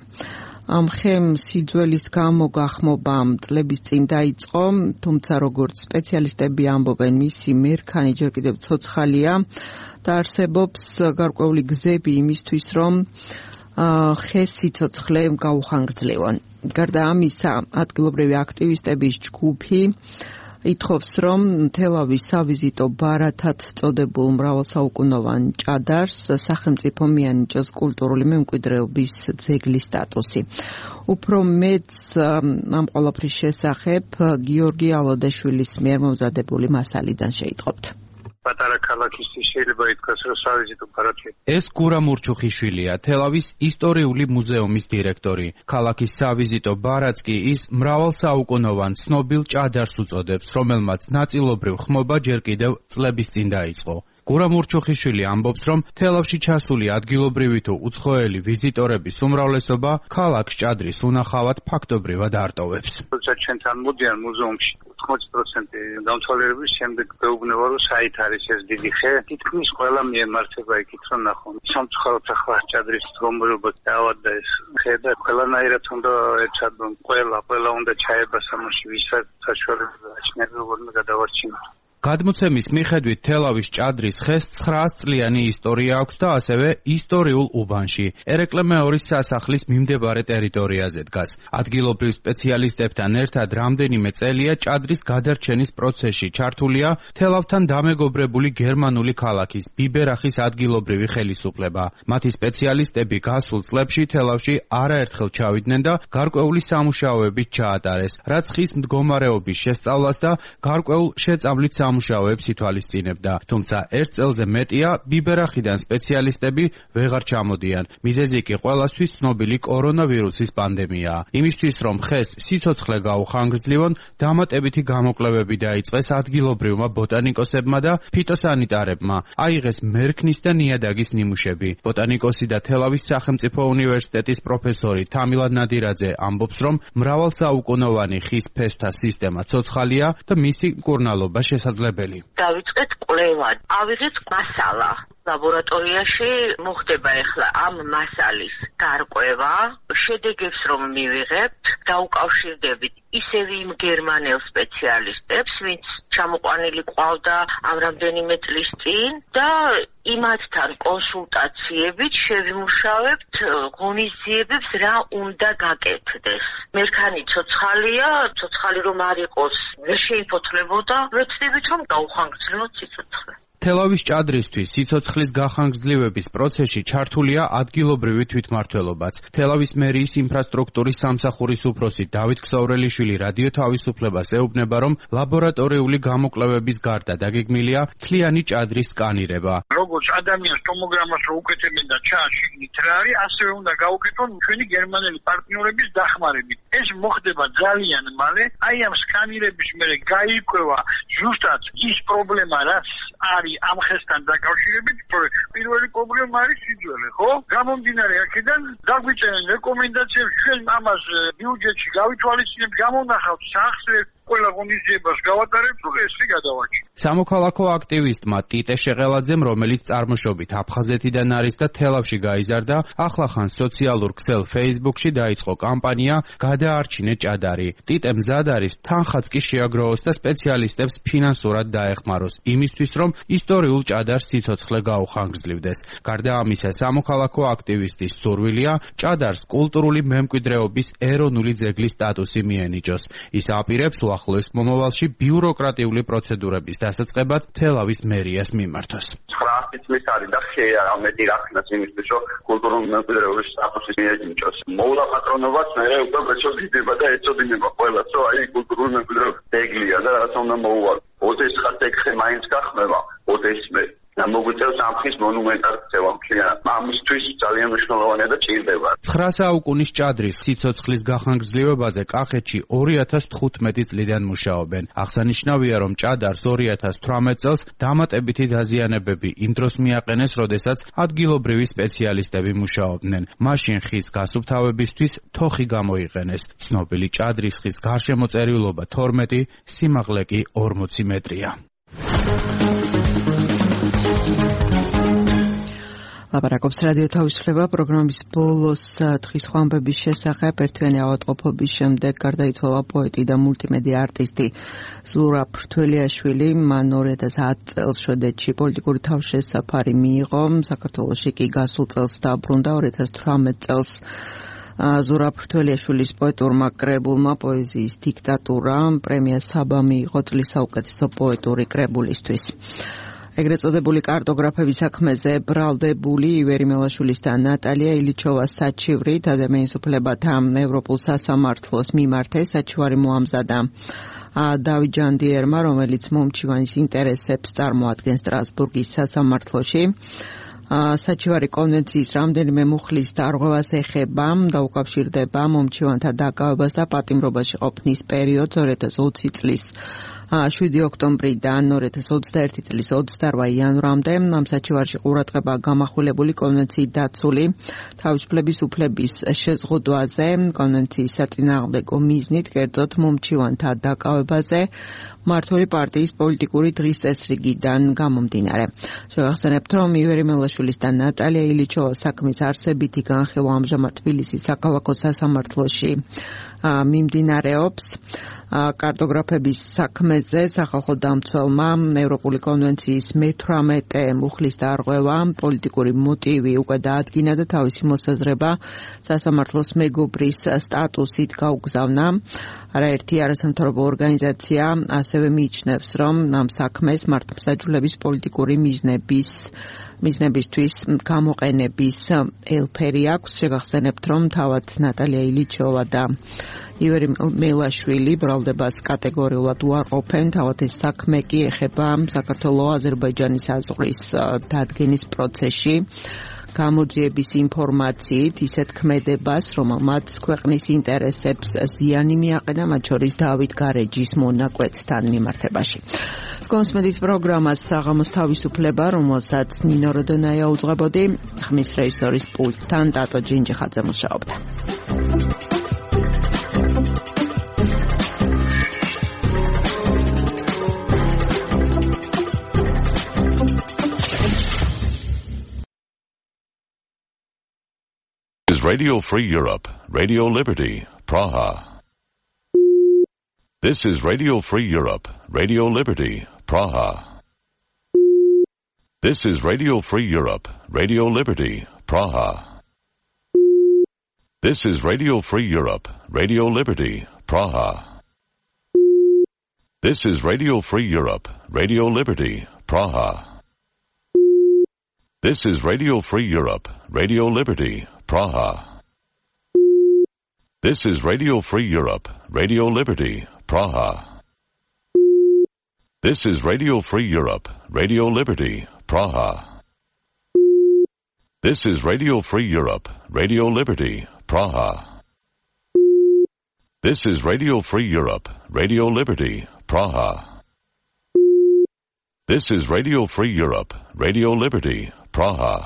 ამ ხემ სიძველის გამო გახმობა წლების წინ დაიწყო, თუმცა როგორც სპეციალისტები ამბობენ, მისი მერქანი ჯერ კიდევ ცოცხალია და არსებობს გარკვეული გზები იმისთვის, რომ ხეს სიცოცხლე გაუხანგრძლივონ. გარდა ამისა, ადგილობრივი აქტივისტების ჯგუფი ითხოვს, რომ თელავის სავიზიტო ბარათად წოდებულ მრავალსაუკუნოვან ჭადარს სახელმწიფო მიანიჭოს კულტურული მემკვიდრეობის ძეგლის სტატუსი. უფრო მეც ამ ყველაფრის შესახებ გიორგი ალოდაშვილის მიერ მომზადებული მასალიდან შეიტყობთ. პატარა ქალაქისთვის შეიძლება ითქვას, რომ სავიზიტო ბარათი. ეს გურა მურჩუხიშვილია, თელავის ისტორიული მუზეუმის დირექტორი. ქალაქის სავიზიტო ბარათს კი ის მრავალსაუკუნოვან ცნობილ ჭადარს უწოდებს, რომელმაც ნაწილობრივ ხმობა ჯერ კიდევ წლების წინ დაიწყო. გურა მურჩუხიშვილი ამბობს, რომ თელავში ჩასული ადგილობრივი თუ უცხოელი ვიზიტორების უმრავლესობა ქალაქს ჭადრის უნახავად ფაქტობრივად არტოვებს. როცა ჩვენთან მოდიან მუზეუმში 80% დამთვალიერების შემდეგ გვეუბნება, რომ საით არის ეს დიდი ხე, თითქმის ყველა მიემართება იქით, რომ ნახონ. სამწუხაროდ ახლა ჭადრის რომლებობა დაავადდა ეს ხე და ყველანაირად უნდა ეცადონ, ყველა უნდა ჩაება სამოში, ვისაც საშუალება აჩნია, როგორ გადავარჩინოთ. გადმოცემის მიხედვით თელავის ჭადრის ხეს 900 წლიანი ისტორია აქვს და ასევე ისტორიულ უბანში, ერეკლე მეორის სასახლის მიმდებარე ტერიტორიაზე დგას. ადგილობრივ სპეციალისტებთან ერთად რამდენიმე წელია ჭადრის გადარჩენის პროცესში ჩართულია თელავთან დამეგობრებული გერმანული ქალაქის ბიბერახის ადგილობრივი ხელისუფლება. მათი სპეციალისტები გასულ წლებში თელავში არაერთხელ ჩავიდნენ და გარკვეული სამუშაოებით ჩაატარეს, რაც ხის მდგომარეობის შესწავლას და გარკვეულ შეწამლით სამუშაოებს ითვალისწინებდა. თუმცა ერთ წელზე მეტია ბიბერახიდან სპეციალისტები ვეღარ ჩამოდიან. მიზეზი კი ყველასთვის ცნობილი კორონავირუსის პანდემიაა. იმისთვის რომ ხეს სიცოცხლე გაუხანგრძლივონ, დამატებითი გამოკვლევები დაიწყეს ადგილობრივმა ბოტანიკოსებმა და ფიტოსანიტარებმა. აიღეს მერქნის და ნიადაგის ნიმუშები. ბოტანიკოსი და თელავის სახელმწიფო უნივერსიტეტის პროფესორი თამილა ნადირაძე ამბობს, რომ მრავალსაუკუნოვანი ხის ფესვთა სისტემა ცოცხალია და მისი მკურნალობა შესაძლებელი. დავიწყეთ კვლევა, ავიღეთ მასალა. ლაბორატორიაში მოხდება ახლა ამ მასალის გარკვევა, შედეგებს რომ მივიღებთ, დაუკავშირდებით ისევ იმ გერმანელ სპეციალისტებს, ვინც ჩამოყვანილი ყავდა ამ რამდენიმე წლის წინ და იმათთან კონსულტაციებით შევიმუშავებთ ღონისძიებებს რა უნდა გაკეთდეს. მერქანი ცოცხალია, ცოცხალი რომ არ იყოს, ვერ შეიფოთლებოდა, ვეცდებით რომ გაუხანგრძლივოთ სიცოცხლე. თელავის ჭადრისთვის სიცოცხლის გახანგრძლივების პროცესში ჩართულია ადგილობრივი თვითმმართველობაც. თელავის მერიის ინფრასტრუქტურის სამსახურის უფროსი დავით ქსოვრელიშვილი რადიო თავისუფლებას ეუბნება, რომ ლაბორატორიული გამოკვლევების გარდა დაგეგმილია მთლიანი ჭადრის სკანირება. როგორც ადამიანს ტომოგრამას რო უკეთებენ და ჩანს შიგნით რა არის, ასევე უნდა გაუკეთონ ჩვენი გერმანელი პარტნიორების დახმარებით. ეს მოხდება ძალიან მალე, აი ამ სკანირების მერე გაიკვევა ზუსტად ის პრობლემა, რაც არის ამ ხესთან დაკავშირებით, პირველი პრობლემა არის სიძველე, ხო? გამომდინარე აქედან დაგვიწერენ რეკომენდაციებს, ჩვენ ამას ბიუჯეტში გავითვალისწინებთ, გამონახავთ სახსრებს, ყველა ღონისძიებას გავატარებთ, ესე გადავაჭიროთ. სამოქალაქო აქტივისტმა ტიტე შეღელაძემ, რომელიც წარმოშობით აფხაზეთიდან არის და თელავში გაიზარდა, ახლახან სოციალურ ქსელ Facebook-ში დაიწყო კამპანია გადაარჩინე ჭადარი. ტიტე მზად არის თანხაც კი შეაგროვოს და სპეციალისტებს ფინანსურად დაეხმაროს, იმისთვის რომ ისტორიულ ჭადარს სიცოცხლე გაუხანგრძლივდეს. გარდა ამისა, სამოქალაქო აქტივისტის სურვილია ჭადარს კულტურული მემკვიდრეობის ეროვნული ძეგლის სტატუსი მიენიჭოს. ის აპირებს უახლოეს მომავალში ბიუროკრატიული პროცედურების დასაწყებად თელავის მერიას მიმართოს. 900 წლის არის და ხეა ამეთი რახნას იმისთვის, რომ კულტურული მემკვიდრეობის სტატუსი მიენიჭოს. მოვლა პატრონობას მე უკვე შეძიდება და ეწოდინება ყველას, რომ აი კულტურული მემკვიდრეობის ძეგლია და რაც უნდა მოუვალ. ოდესღაც ხე მაინც გახმება, ოდესმე და მოგვიწევს ამ ხის მონუმენტად ქცევა მთლიანად. ამისთვის ძალიან მნიშვნელოვანია და ჭირდება. 9 საუკუნის ჭადრის სიცოცხლის გახანგრძლივებაზე კახეთში 2015 წლიდან მუშაობენ. აღსანიშნავია, რომ ჭადარს 2018 წელს დამატებითი დაზიანებები იმ დროს მიაყენეს, როდესაც ადგილობრივი სპეციალისტები მუშაობდნენ. მაშინ ხის გასუფთავებისთვის თოხი გამოიყენეს. ცნობილი ჭადრის ხის გარშემოწერილობა 12, სიმაღლე კი 40 მეტრია. ლაპარაკობს რადიო თავისუფლება პროგრამის ბოლოს თხის ხვამბების შესახებ. ერთვიანი ავადმყოფობის შემდეგ გარდაიცვალა პოეტი და მულტიმედია არტისტი ზურაბ ფრთველიაშვილი. მან 2010 წელს შვედეთში პოლიტიკური თავშესაფარი მიიღო. საქართველოში კი გასულ წელს დაბრუნდა. 2018 წელს ზურაბ ფრთველიაშვილის პოეტურმა კრებულმა პოეზიის დიქტატურა პრემია საბა მიიღო წლის საუკეთესო პოეტური კრებულისთვის. ეგრეთ წოდებული კარტოგრაფების საქმეზე ბრალდებული ივერი მელაშვილის და ნატალია ილიჩოვას საჩივრით ადამიანის უფლებათა ევროპულ სასამართლოს მიმართეს. საჩივარი მოამზადა დავით ჯანდიერმა, რომელიც მომჩივანის ინტერესებს წარმოადგენს სტრასბურგის სასამართლოში. საჩივარი კონვენციის რამდენიმე მუხლის დარღვევას ეხება, დაუკავშირდება მომჩივანთა დაკავებას და პატიმრობაში ყოფნის პერიოდს 2020 წლის 7 ოქტომბრიდან 2021 წლის 28 იანვრამდე. ამ საჩივარში ყურადღება გამახვილებული კონვენციით დაცული თავისუფლების უფლების შეზღუდვაზე, კონვენციის საწინააღმდეგო მიზნით, კერძოდ მომჩივანთა დაკავებაზე მმართველი პარტიის პოლიტიკური დღის წესრიგიდან გამომდინარე. შევახსენებთ, რომ ივერი მელაშვილის და ნატალია ილიჩოვას საქმის არსებითი განხილვა ამჟამად თბილისის საქალაქო სასამართლოში მიმდინარეობს კარტოგრაფების საქმეზე სახალხო დამცველმა ევროპული კონვენციის მე-18 მუხლის დარღვევა პოლიტიკური მოტივი უკვე დაადგინა და თავისი მოსაზრება სასამართლოს მეგობრის სტატუსით გაუგზავნა. არაერთი არასამთავრობო ორგანიზაცია ასევე მიიჩნევს, რომ ამ საქმეს მართლმსაჯულების პოლიტიკური მიზნებისთვის გამოყენების ელფერი აქვს. შეგახსენებთ, რომ თავად ნატალია ილიჩოვა და ივერი მელაშვილი ბრალდებას კატეგორიულად უარყოფენ. თავად ეს საქმე კი ეხება საქართველო-აზერბაიჯანის აზღვის დადგენის პროცესში გამოძიების ინფორმაციით ისეთ ქმედებას, რომელმაც ქვეყნის ინტერესებს ზიანი მიაყენა, მათ შორის დავით გარეჯის მონაკვეთთან მიმართებაში. კონსმედით პროგრამას საღამოს თავისუფლება, რომელსაც ნინო როდონაია უძღვებოდი, ხმის რეჟისორის პულტთან ტატო ჯინჯიხაძე მუშაობდა. Radio Free Europe, Radio Liberty, Praha. This is Radio Free Europe, Radio Liberty, Praha. This is Radio Free Europe, Radio Liberty, Praha. This is Radio Free Europe, Radio Liberty, Praha. This is Radio Free Europe, Radio Liberty, Praha. This is Radio Free Europe, Radio Liberty, Praha. This is Radio Free Europe, Radio Liberty, Praha. This is Radio Free Europe, Radio Liberty, Praha. This is Radio Free Europe, Radio Liberty, Praha. This is Radio Free Europe, Radio Liberty, Praha.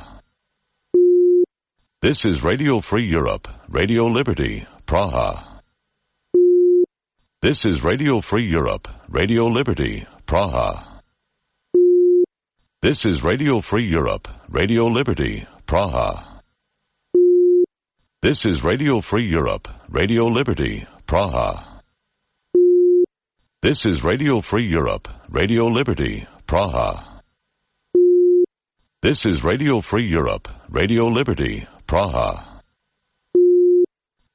This is Radio Free Europe, Radio Liberty, Praha. This is Radio Free Europe, Radio Liberty, Praha. This is Radio Free Europe, Radio Liberty, Praha. This is Radio Free Europe, Radio Liberty, Praha. This is Radio Free Europe, Radio Liberty, Praha. This is Radio Free Europe, Radio Liberty, Praha.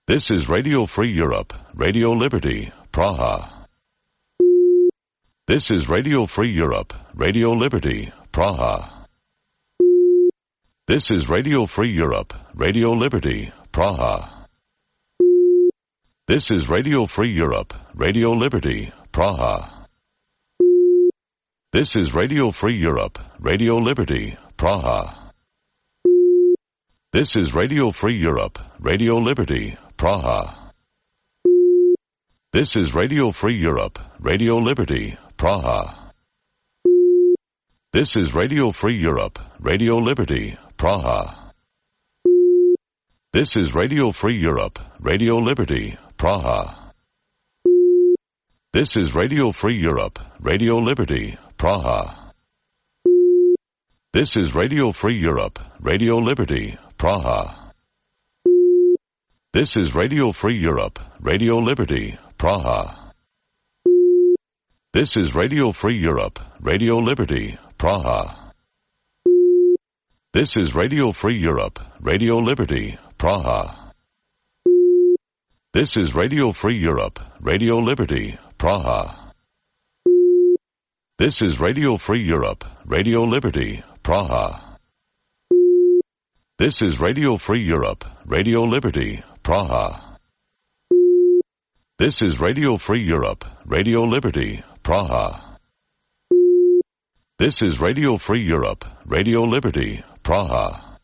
This is Radio Free Europe, Radio Liberty, Praha. This is Radio Free Europe, Radio Liberty, Praha. This is Radio Free Europe, Radio Liberty, Praha. This is Radio Free Europe, Radio Liberty, Praha. This is Radio Free Europe, Radio Liberty, Praha. This is Radio Free Europe, Radio Liberty, Praha. This is Radio Free Europe, Radio Liberty, Praha. This is Radio Free Europe, Radio Liberty, Praha. This is Radio Free Europe, Radio Liberty, Praha. This is Radio Free Europe, Radio Liberty, Praha. This is Radio Free Europe, Radio Liberty, Praha. This is Radio Free Europe, Radio Liberty, Praha. This is Radio Free Europe, Radio Liberty, Praha. This is Radio Free Europe, Radio Liberty, Praha. This is Radio Free Europe, Radio Liberty, Praha. This is Radio Free Europe, Radio Liberty, Praha. This is Radio Free Europe, Radio Liberty, Praha. This is Radio Free Europe, Radio Liberty, Praha. This is Radio Free Europe, Radio Liberty, Praha. This is Radio Free Europe, Radio Liberty, Praha.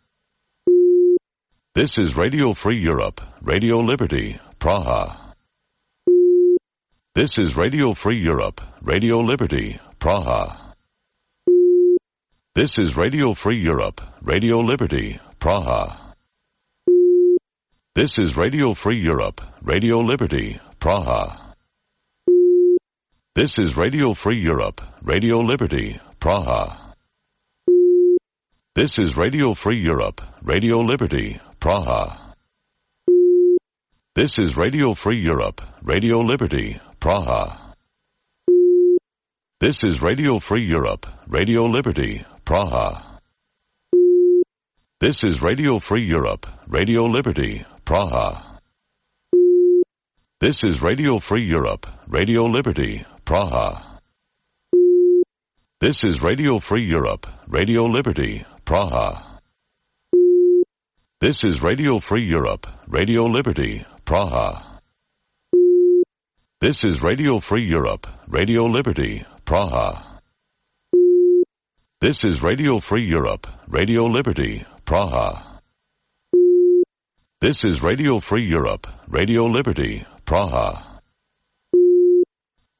This is Radio Free Europe, Radio Liberty, Praha. This is Radio Free Europe, Radio Liberty, Praha. This is Radio Free Europe, Radio Liberty, Praha. This is Radio Free Europe, Radio Liberty, Praha. This is Radio Free Europe, Radio Liberty, Praha. This is Radio Free Europe, Radio Liberty, Praha. This is Radio Free Europe, Radio Liberty, Praha. This is Radio Free Europe, Radio Liberty, Praha. This is Radio Free Europe, Radio Liberty, Praha. This is Radio Free Europe, Radio Liberty, Praha. This is Radio Free Europe, Radio Liberty, Praha. This is Radio Free Europe, Radio Liberty, Praha. This is Radio Free Europe, Radio Liberty, Praha. This is Radio Free Europe, Radio Liberty, Praha. This is Radio Free Europe, Radio Liberty, Praha.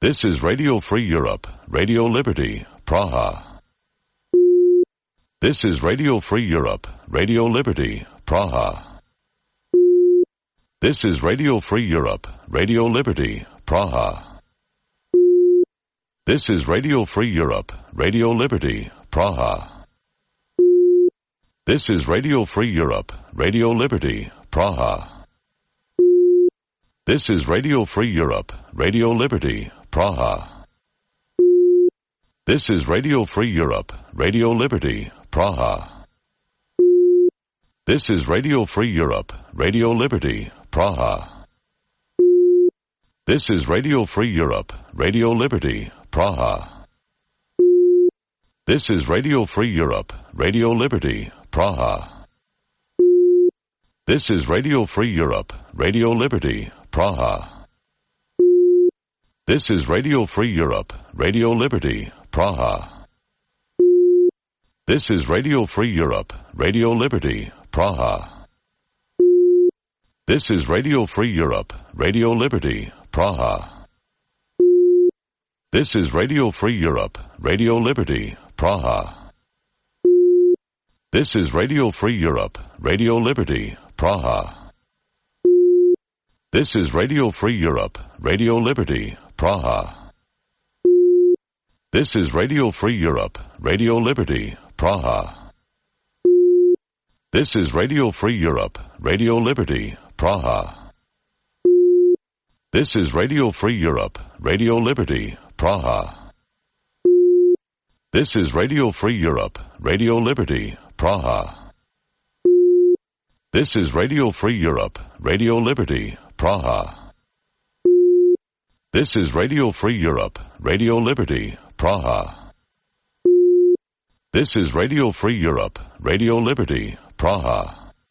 This is Radio Free Europe, Radio Liberty, Praha. This is Radio Free Europe, Radio Liberty, Praha. This is Radio Free Europe, Radio Liberty, Praha. This is Radio Free Europe, Radio Liberty, Praha. This is Radio Free Europe, Radio Liberty, Praha. This is Radio Free Europe, Radio Liberty, Praha. This is Radio Free Europe, Radio Liberty, Praha. This is Radio Free Europe, Radio Liberty, Praha. This is Radio Free Europe, Radio Liberty, Praha. This is Radio Free Europe, Radio Liberty, Praha. This is Radio Free Europe, Radio Liberty, Praha. This is Radio Free Europe, Radio Liberty, Praha. This is Radio Free Europe, Radio Liberty, Praha. This is Radio Free Europe, Radio Liberty, Praha. This is Radio Free Europe, Radio Liberty, Praha. This is Radio Free Europe, Radio Liberty, Praha. This is Radio Free Europe, Radio Liberty, Praha. This is Radio Free Europe, Radio Liberty, Praha. This is Radio Free Europe, Radio Liberty, Praha. This is Radio Free Europe, Radio Liberty, Praha. This is Radio Free Europe, Radio Liberty, Praha. This is Radio Free Europe, Radio Liberty, Praha. This is Radio Free Europe, Radio Liberty, Praha. This is Radio Free Europe, Radio Liberty, Praha.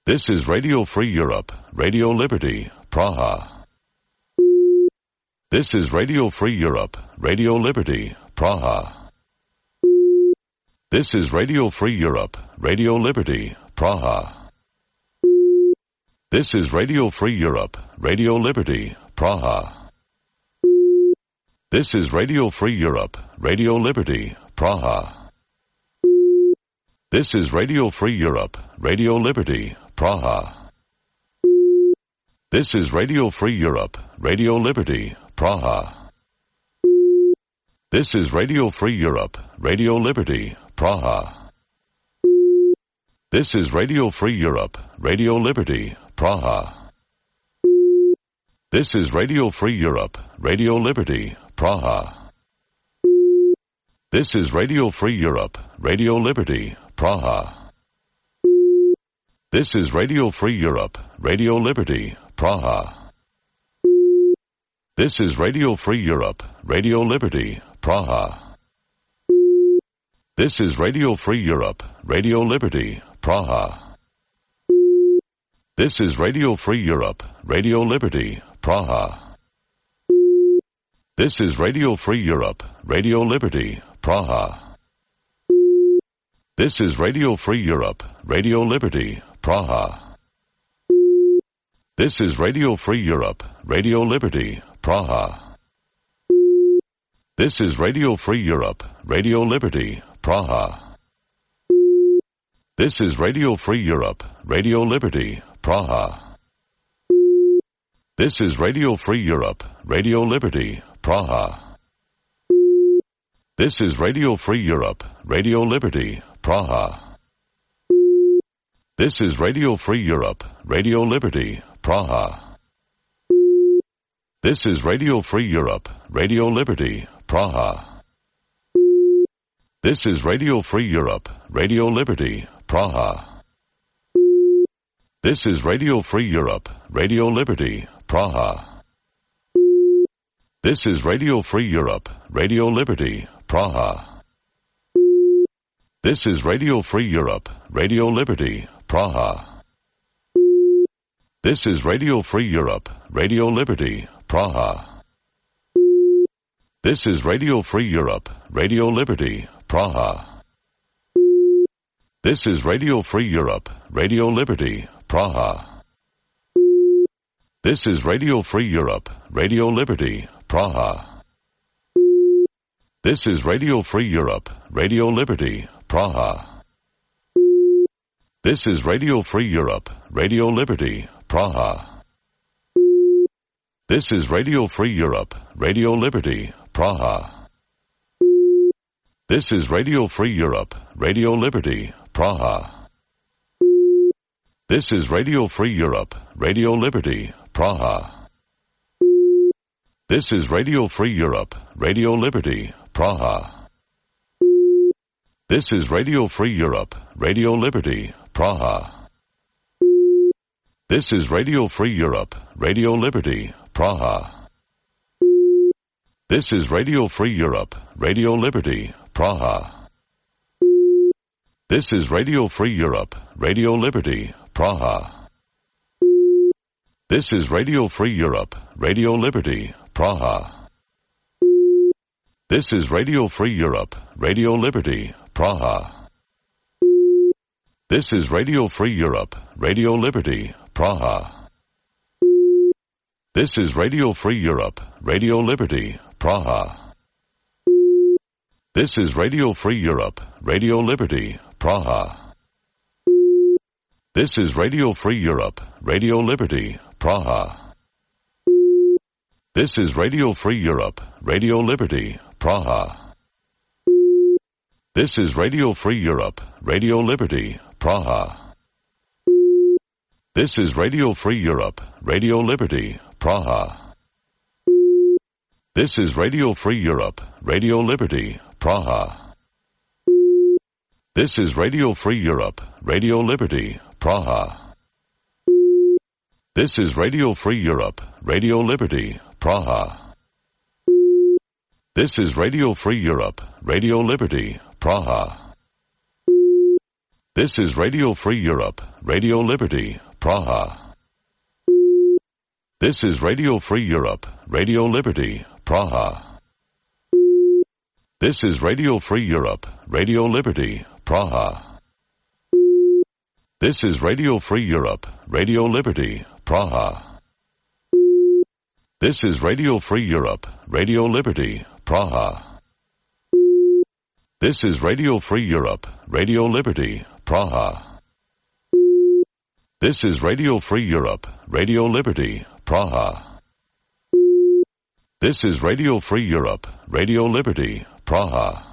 This is Radio Free Europe, Radio Liberty, Praha. This is Radio Free Europe, Radio Liberty, Praha. This is Radio Free Europe, Radio Liberty, Praha. This is Radio Free Europe, Radio Liberty, Praha. This is Radio Free Europe, Radio Liberty, Praha. This is Radio Free Europe, Radio Liberty, Praha. This is Radio Free Europe, Radio Liberty, Praha. This is Radio Free Europe, Radio Liberty, Praha. This is Radio Free Europe, Radio Liberty, Praha. This is Radio Free Europe, Radio Liberty, Praha. This is Radio Free Europe, Radio Liberty, Praha. This is Radio Free Europe, Radio Liberty, Praha. This is Radio Free Europe, Radio Liberty, Praha. This is Radio Free Europe, Radio Liberty, Praha. This is Radio Free Europe, Radio Liberty, Praha. This is Radio Free Europe, Radio Liberty, Praha. This is Radio Free Europe, Radio Liberty, Praha. This is Radio Free Europe, Radio Liberty, Praha. This is Radio Free Europe, Radio Liberty, Praha. This is Radio Free Europe, Radio Liberty, Praha. This is Radio Free Europe, Radio Liberty, Praha. This is Radio Free Europe, Radio Liberty, Praha. This is Radio Free Europe, Radio Liberty, Praha. This is Radio Free Europe, Radio Liberty, Praha. This is Radio Free Europe, Radio Liberty, Praha. This is Radio Free Europe, Radio Liberty, Praha. This is Radio Free Europe, Radio Liberty, Praha. This is Radio Free Europe, Radio Liberty, Praha. This is Radio Free Europe, Radio Liberty, Praha. This is Radio Free Europe, Radio Liberty, Praha. This is Radio Free Europe, Radio Liberty, Praha. This is Radio Free Europe, Radio Liberty, Praha. This is Radio Free Europe, Radio Liberty, Praha. This is Radio Free Europe, Radio Liberty, Praha. This is Radio Free Europe, Radio Liberty, Praha. This is Radio Free Europe, Radio Liberty, Praha. This is Radio Free Europe, Radio Liberty, Praha. This is Radio Free Europe, Radio Liberty, Praha. This is Radio Free Europe, Radio Liberty, Praha. This is Radio Free Europe, Radio Liberty, Praha. This is Radio Free Europe, Radio Liberty, Praha. This is Radio Free Europe, Radio Liberty, Praha. This is Radio Free Europe, Radio Liberty, Praha. This is Radio Free Europe, Radio Liberty, Praha. This is Radio Free Europe, Radio Liberty, Praha. This is Radio Free Europe, Radio Liberty, Praha. This is Radio Free Europe, Radio Liberty, Praha. This is Radio Free Europe, Radio Liberty, Praha. This is Radio Free Europe, Radio Liberty, Praha. This is Radio Free Europe, Radio Liberty, Praha. This is Radio Free Europe, Radio Liberty, Praha. This is Radio Free Europe, Radio Liberty, Praha. This is Radio Free Europe, Radio Liberty, Praha. This is Radio Free Europe, Radio Liberty, Praha. This is Radio Free Europe, Radio Liberty, Praha. This is Radio Free Europe, Radio Liberty, Praha. This is Radio Free Europe, Radio Liberty, Praha. This is Radio Free Europe, Radio Liberty, Praha. This is Radio Free Europe, Radio Liberty, Praha. This is Radio Free Europe, Radio Liberty, Praha. This is Radio Free Europe, Radio Liberty, Praha. This is Radio Free Europe, Radio Liberty, Praha. This is Radio Free Europe, Radio Liberty, Praha.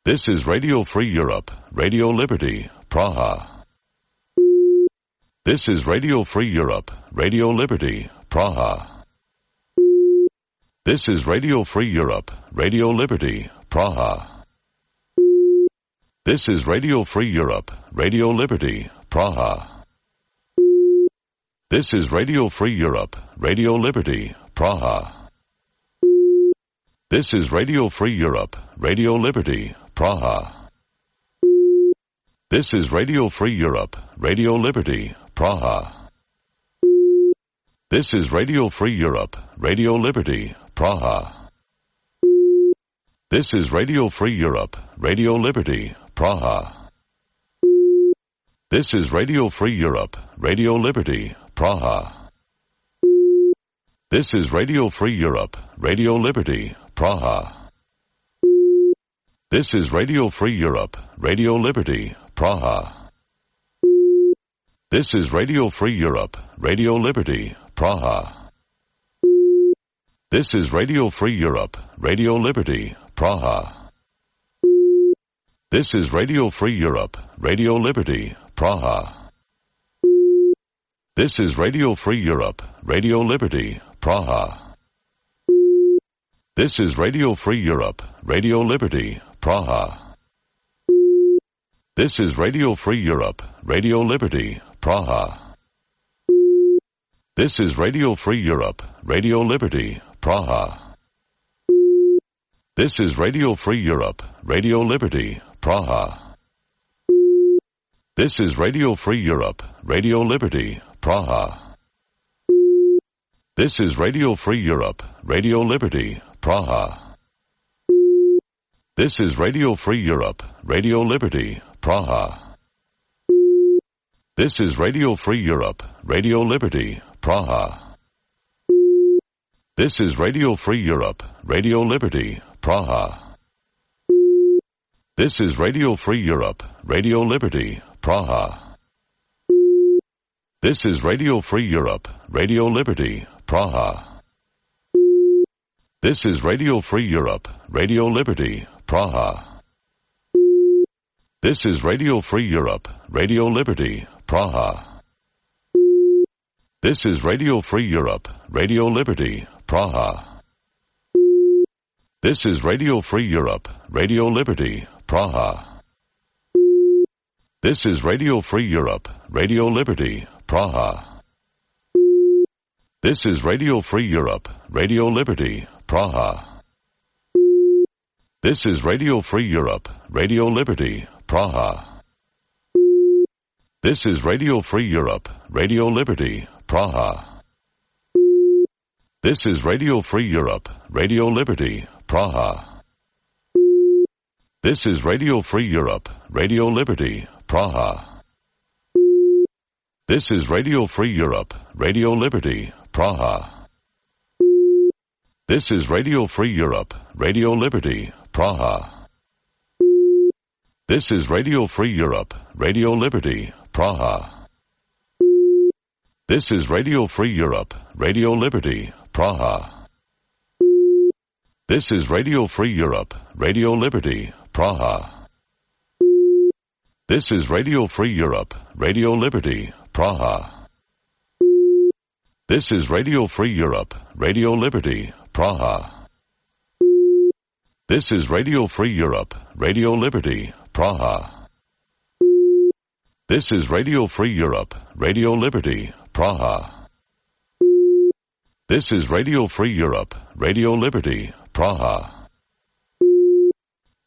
This is Radio Free Europe, Radio Liberty, Praha. This is Radio Free Europe, Radio Liberty, Praha. This is Radio Free Europe, Radio Liberty, Praha. This is Radio Free Europe, Radio Liberty, Praha. This is Radio Free Europe, Radio Liberty, Praha. This is Radio Free Europe, Radio Liberty, Praha. This is Radio Free Europe, Radio Liberty, Praha. This is Radio Free Europe, Radio Liberty, Praha. This is Radio Free Europe, Radio Liberty, Praha. This is Radio Free Europe, Radio Liberty, Praha. This is Radio Free Europe, Radio Liberty, Praha. This is Radio Free Europe, Radio Liberty, Praha. This is Radio Free Europe, Radio Liberty, Praha. This is Radio Free Europe, Radio Liberty, Praha. This is Radio Free Europe, Radio Liberty, Praha. This is Radio Free Europe, Radio Liberty, Praha. This is Radio Free Europe, Radio Liberty, Praha. This is Radio Free Europe, Radio Liberty, Praha. This is Radio Free Europe, Radio Liberty, Praha. This is Radio Free Europe, Radio Liberty, Praha. This is Radio Free Europe, Radio Liberty, Praha. This is Radio Free Europe, Radio Liberty, Praha. This is Radio Free Europe, Radio Liberty, Praha. This is Radio Free Europe, Radio Liberty, Praha. This is Radio Free Europe, Radio Liberty, Praha. This is Radio Free Europe, Radio Liberty, Praha. This is Radio Free Europe, Radio Liberty, Praha. This is Radio Free Europe, Radio Liberty, Praha. This is Radio Free Europe, Radio Liberty, Praha. This is Radio Free Europe, Radio Liberty, Praha. This is Radio Free Europe, Radio Liberty, Praha. This is Radio Free Europe, Radio Liberty, Praha. This is Radio Free Europe, Radio Liberty, Praha. This is Radio Free Europe, Radio Liberty, Praha. This is Radio Free Europe, Radio Liberty, Praha. This is Radio Free Europe, Radio Liberty, Praha. This is Radio Free Europe, Radio Liberty, Praha. This is Radio Free Europe, Radio Liberty, Praha. This is Radio Free Europe, Radio Liberty, Praha. This is Radio Free Europe, Radio Liberty, Praha. This is Radio Free Europe, Radio Liberty, Praha. This is Radio Free Europe, Radio Liberty, Praha. This is Radio Free Europe, Radio Liberty, Praha. This is Radio Free Europe, Radio Liberty, Praha. This is Radio Free Europe, Radio Liberty, Praha. This is Radio Free Europe, Radio Liberty, Praha. This is Radio Free Europe, Radio Liberty, Praha.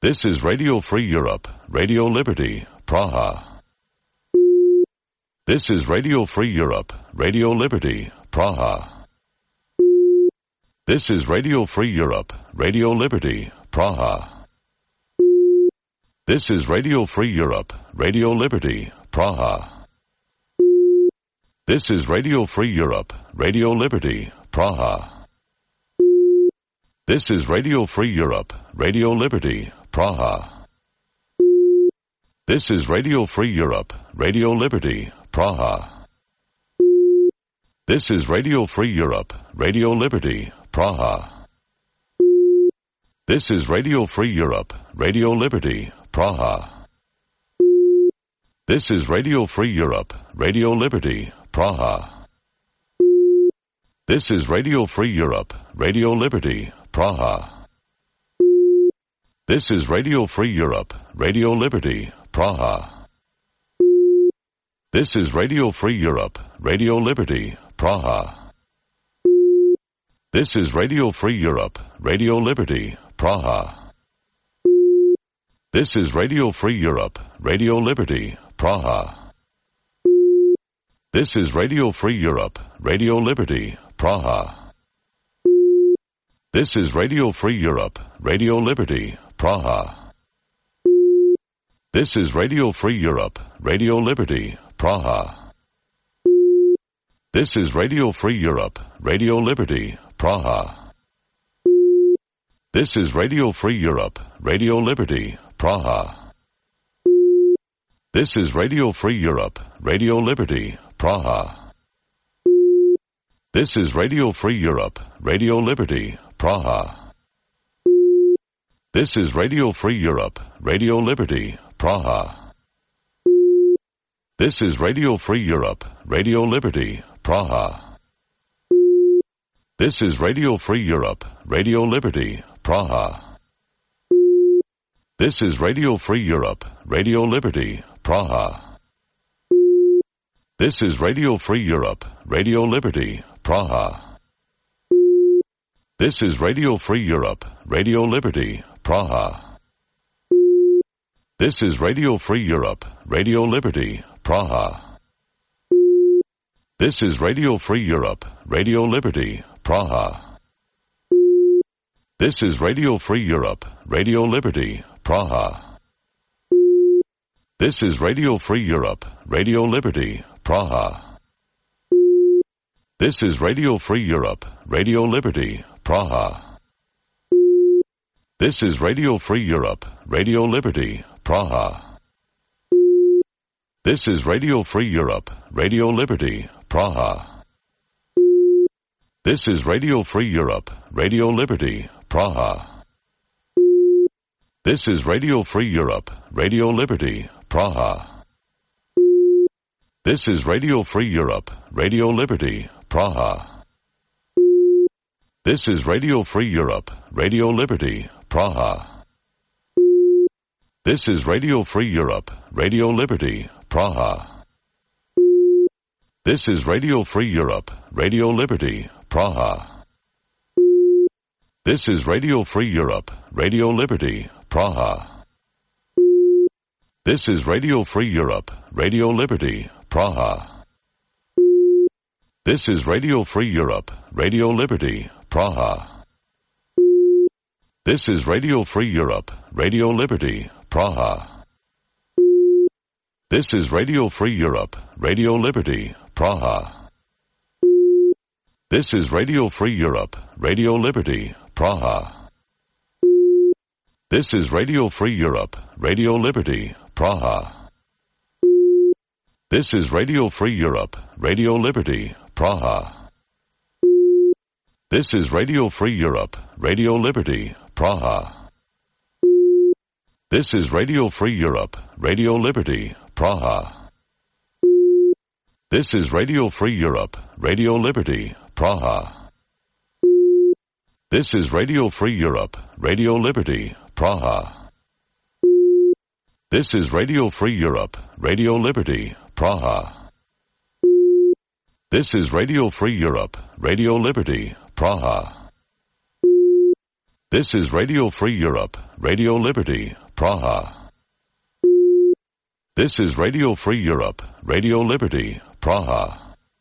This is Radio Free Europe, Radio Liberty, Praha. This is Radio Free Europe, Radio Liberty, Praha. This is Radio Free Europe, Radio Liberty, Praha. This is Radio Free Europe, Radio Liberty, Praha. This is Radio Free Europe, Radio Liberty, Praha. This is Radio Free Europe, Radio Liberty, Praha. This is Radio Free Europe, Radio Liberty, Praha. This is Radio Free Europe, Radio Liberty, Praha. This is Radio Free Europe, Radio Liberty, Praha. This is Radio Free Europe, Radio Liberty, Praha. This is Radio Free Europe, Radio Liberty, Praha. This is Radio Free Europe, Radio Liberty, Praha. This is Radio Free Europe, Radio Liberty, Praha. This is Radio Free Europe, Radio Liberty, Praha. This is Radio Free Europe, Radio Liberty, Praha. This is Radio Free Europe, Radio Liberty, Praha. This is Radio Free Europe, Radio Liberty, Praha. This is Radio Free Europe, Radio Liberty, Praha. This is Radio Free Europe, Radio Liberty, Praha. This is Radio Free Europe, Radio Liberty, Praha. This is Radio Free Europe, Radio Liberty, Praha. This is Radio Free Europe, Radio Liberty, Praha. This is Radio Free Europe, Radio Liberty, Praha. This is Radio Free Europe, Radio Liberty, Praha. This is Radio Free Europe, Radio Liberty, Praha. This is Radio Free Europe, Radio Liberty, Praha. This is Radio Free Europe, Radio Liberty, Praha. This is Radio Free Europe, Radio Liberty, Praha. This is Radio Free Europe, Radio Liberty, Praha. This is Radio Free Europe, Radio Liberty, Praha. This is Radio Free Europe, Radio Liberty, Praha. This is Radio Free Europe, Radio Liberty, Praha. This is Radio Free Europe, Radio Liberty, Praha. This is Radio Free Europe, Radio Liberty, Praha. This is Radio Free Europe, Radio Liberty, Praha. This is Radio Free Europe, Radio Liberty, Praha. This is Radio Free Europe, Radio Liberty, Praha. This is Radio Free Europe, Radio Liberty, Praha. This is Radio Free Europe, Radio Liberty, Praha. This is Radio Free Europe, Radio Liberty, Praha. This is Radio Free Europe, Radio Liberty, Praha. This is Radio Free Europe, Radio Liberty, Praha. This is Radio Free Europe, Radio Liberty, Praha. This is Radio Free Europe, Radio Liberty, Praha. This is Radio Free Europe, Radio Liberty, Praha. This is Radio Free Europe, Radio Liberty, Praha. This is Radio Free Europe, Radio Liberty, Praha. This is Radio Free Europe, Radio Liberty, Praha. This is Radio Free Europe, Radio Liberty, Praha. This is Radio Free Europe, Radio Liberty, Praha. This is Radio Free Europe, Radio Liberty, Praha. This is Radio Free Europe, Radio Liberty, Praha. This is Radio Free Europe, Radio Liberty, Praha. This is Radio Free Europe, Radio Liberty, Praha. This is Radio Free Europe, Radio Liberty, Praha. This is Radio Free Europe, Radio Liberty, Praha. This is Radio Free Europe, Radio Liberty, Praha. This is Radio Free Europe, Radio Liberty, Praha.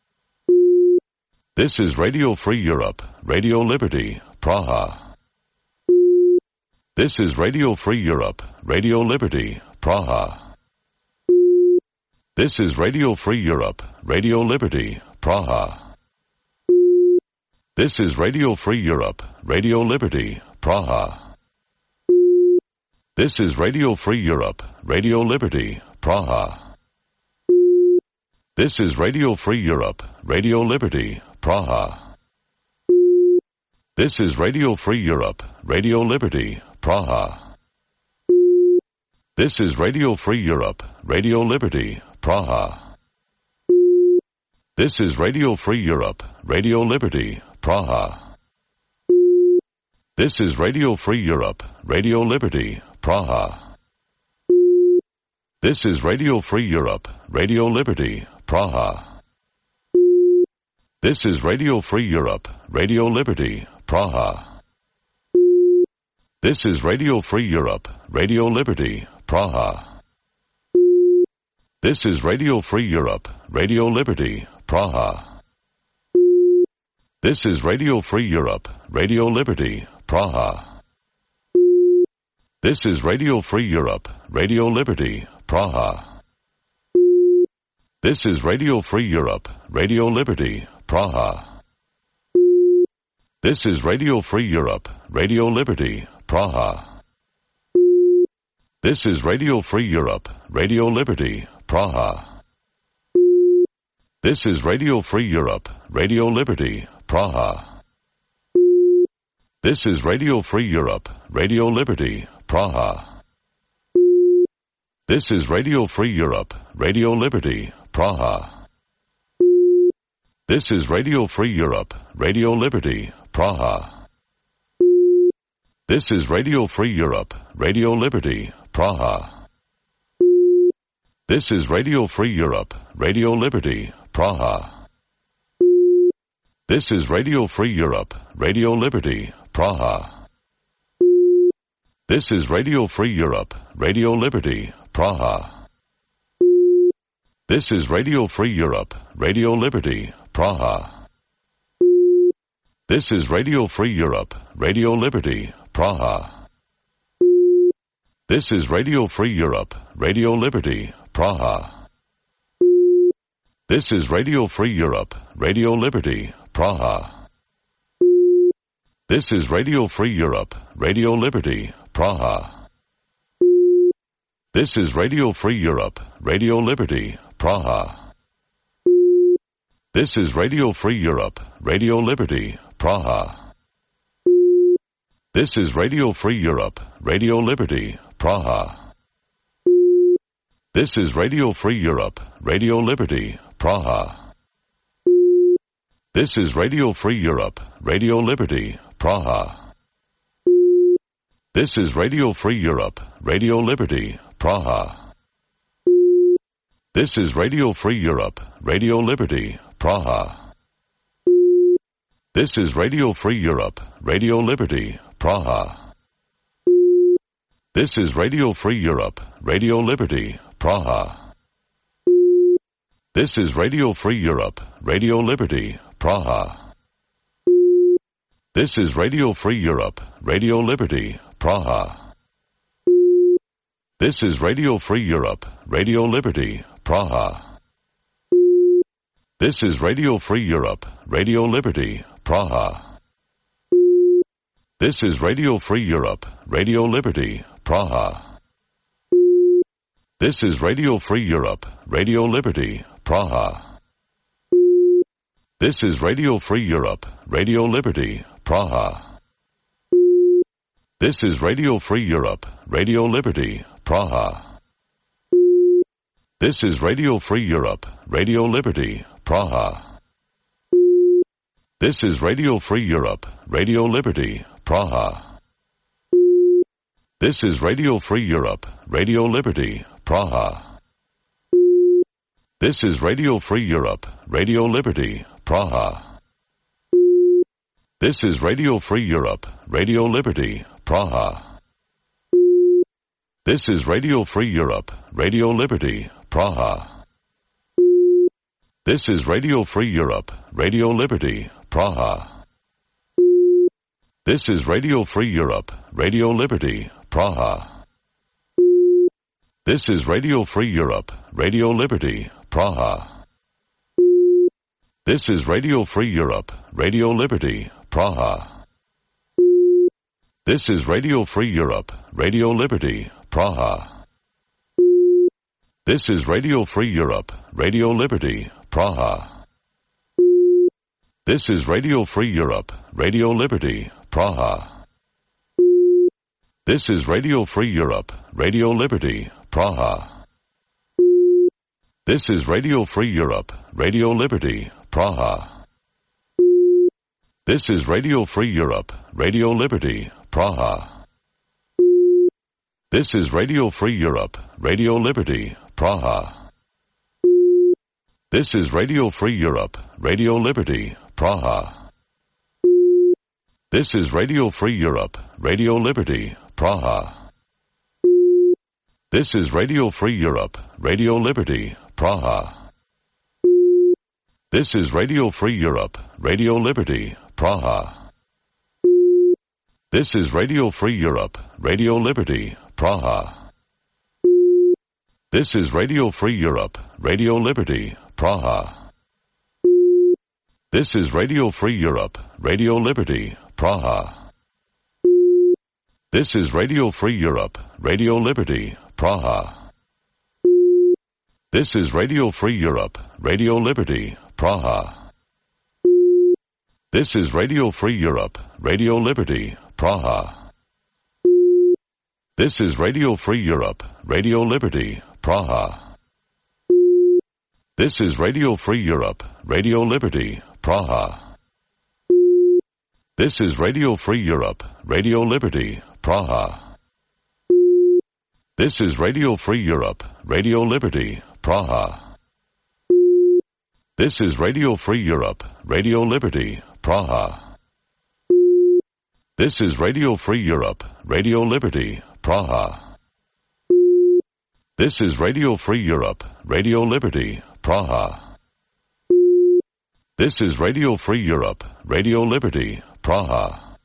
This is Radio Free Europe, Radio Liberty, Praha. This is Radio Free Europe, Radio Liberty, Praha. This is Radio Free Europe, Radio Liberty, Praha. This is Radio Free Europe, Radio Liberty, Praha. This is Radio Free Europe, Radio Liberty, Praha. This is Radio Free Europe, Radio Liberty, Praha. This is Radio Free Europe, Radio Liberty, Praha. This is Radio Free Europe, Radio Liberty, Praha. This is Radio Free Europe, Radio Liberty, Praha. This is Radio Free Europe, Radio Liberty, Praha. This is Radio Free Europe, Radio Liberty, Praha. This is Radio Free Europe, Radio Liberty, Praha. This is Radio Free Europe, Radio Liberty, Praha. This is Radio Free Europe, Radio Liberty, Praha. This is Radio Free Europe, Radio Liberty, Praha. This is Radio Free Europe, Radio Liberty, Praha. This is Radio Free Europe, Radio Liberty, Praha. This is Radio Free Europe, Radio Liberty, Praha. This is Radio Free Europe, Radio Liberty, Praha. This is Radio Free Europe, Radio Liberty, Praha. This is Radio Free Europe, Radio Liberty, Praha. This is Radio Free Europe, Radio Liberty, Praha. This is Radio Free Europe, Radio Liberty, Praha. This is Radio Free Europe, Radio Liberty, Praha. This is Radio Free Europe, Radio Liberty, Praha. This is Radio Free Europe, Radio Liberty, Praha. This is Radio Free Europe, Radio Liberty, Praha. This is Radio Free Europe, Radio Liberty, Praha. This is Radio Free Europe, Radio Liberty, Praha. This is Radio Free Europe, Radio Liberty, Praha. This is Radio Free Europe, Radio Liberty, Praha. This is Radio Free Europe, Radio Liberty, Praha. This is Radio Free Europe, Radio Liberty, Praha. This is Radio Free Europe, Radio Liberty, Praha. This is Radio Free Europe, Radio Liberty, Praha. This is Radio Free Europe, Radio Liberty, Praha. This is Radio Free Europe, Radio Liberty, Praha. This is Radio Free Europe, Radio Liberty, Praha. This is Radio Free Europe, Radio Liberty, Praha. This is Radio Free Europe, Radio Liberty, Praha. This is Radio Free Europe, Radio Liberty, Praha. This is Radio Free Europe, Radio Liberty, Praha. This is Radio Free Europe, Radio Liberty, Praha. This is Radio Free Europe, Radio Liberty, Praha. This is Radio Free Europe, Radio Liberty, Praha. This is Radio Free Europe, Radio Liberty, Praha. This is Radio Free Europe, Radio Liberty, Praha. This is Radio Free Europe, Radio Liberty, Praha. This is Radio Free Europe, Radio Liberty, Praha. This is Radio Free Europe, Radio Liberty, Praha. This is Radio Free Europe, Radio Liberty, Praha. This is Radio Free Europe, Radio Liberty, Praha. This is Radio Free Europe, Radio Liberty, Praha. This is Radio Free Europe, Radio Liberty, Praha. This is Radio Free Europe, Radio Liberty, Praha. This is Radio Free Europe, Radio Liberty, Praha. This is Radio Free Europe, Radio Liberty, Praha. This is Radio Free Europe, Radio Liberty, Praha. This is Radio Free Europe, Radio Liberty, Praha. This is Radio Free Europe, Radio Liberty, Praha. This is Radio Free Europe, Radio Liberty, Praha. This is Radio Free Europe, Radio Liberty, Praha. This is Radio Free Europe, Radio Liberty, Praha. This is Radio Free Europe, Radio Liberty, Praha. This is Radio Free Europe, Radio Liberty, Praha. This is Radio Free Europe, Radio Liberty, Praha. This is Radio Free Europe, Radio Liberty, Praha. This is Radio Free Europe, Radio Liberty, Praha. This is Radio Free Europe, Radio Liberty, Praha. This is Radio Free Europe, Radio Liberty, Praha. This is Radio Free Europe, Radio Liberty, Praha. This is Radio Free Europe, Radio Liberty, Praha. This is Radio Free Europe, Radio Liberty, Praha. This is Radio Free Europe, Radio Liberty, Praha. This is Radio Free Europe, Radio Liberty, Praha. This is Radio Free Europe, Radio Liberty, Praha. This is Radio Free Europe, Radio Liberty, Praha. This is Radio Free Europe, Radio Liberty, Praha. This is Radio Free Europe, Radio Liberty, Praha. This is Radio Free Europe, Radio Liberty, Praha. This is Radio Free Europe, Radio Liberty, Praha. This is Radio Free Europe, Radio Liberty, Praha. This is Radio Free Europe, Radio Liberty, Praha.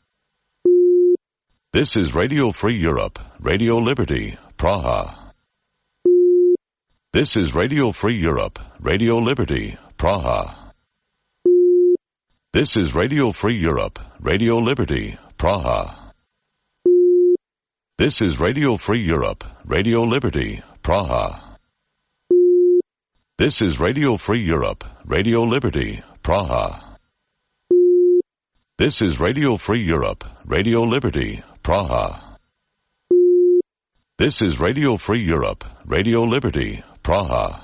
This is Radio Free Europe, Radio Liberty, Praha. This is Radio Free Europe, Radio Liberty, Praha. This is Radio Free Europe, Radio Liberty, Praha. This is Radio Free Europe, Radio Liberty, Praha. This is Radio Free Europe, Radio Liberty, Praha. This is Radio Free Europe, Radio Liberty, Praha. This is Radio Free Europe, Radio Liberty, Praha.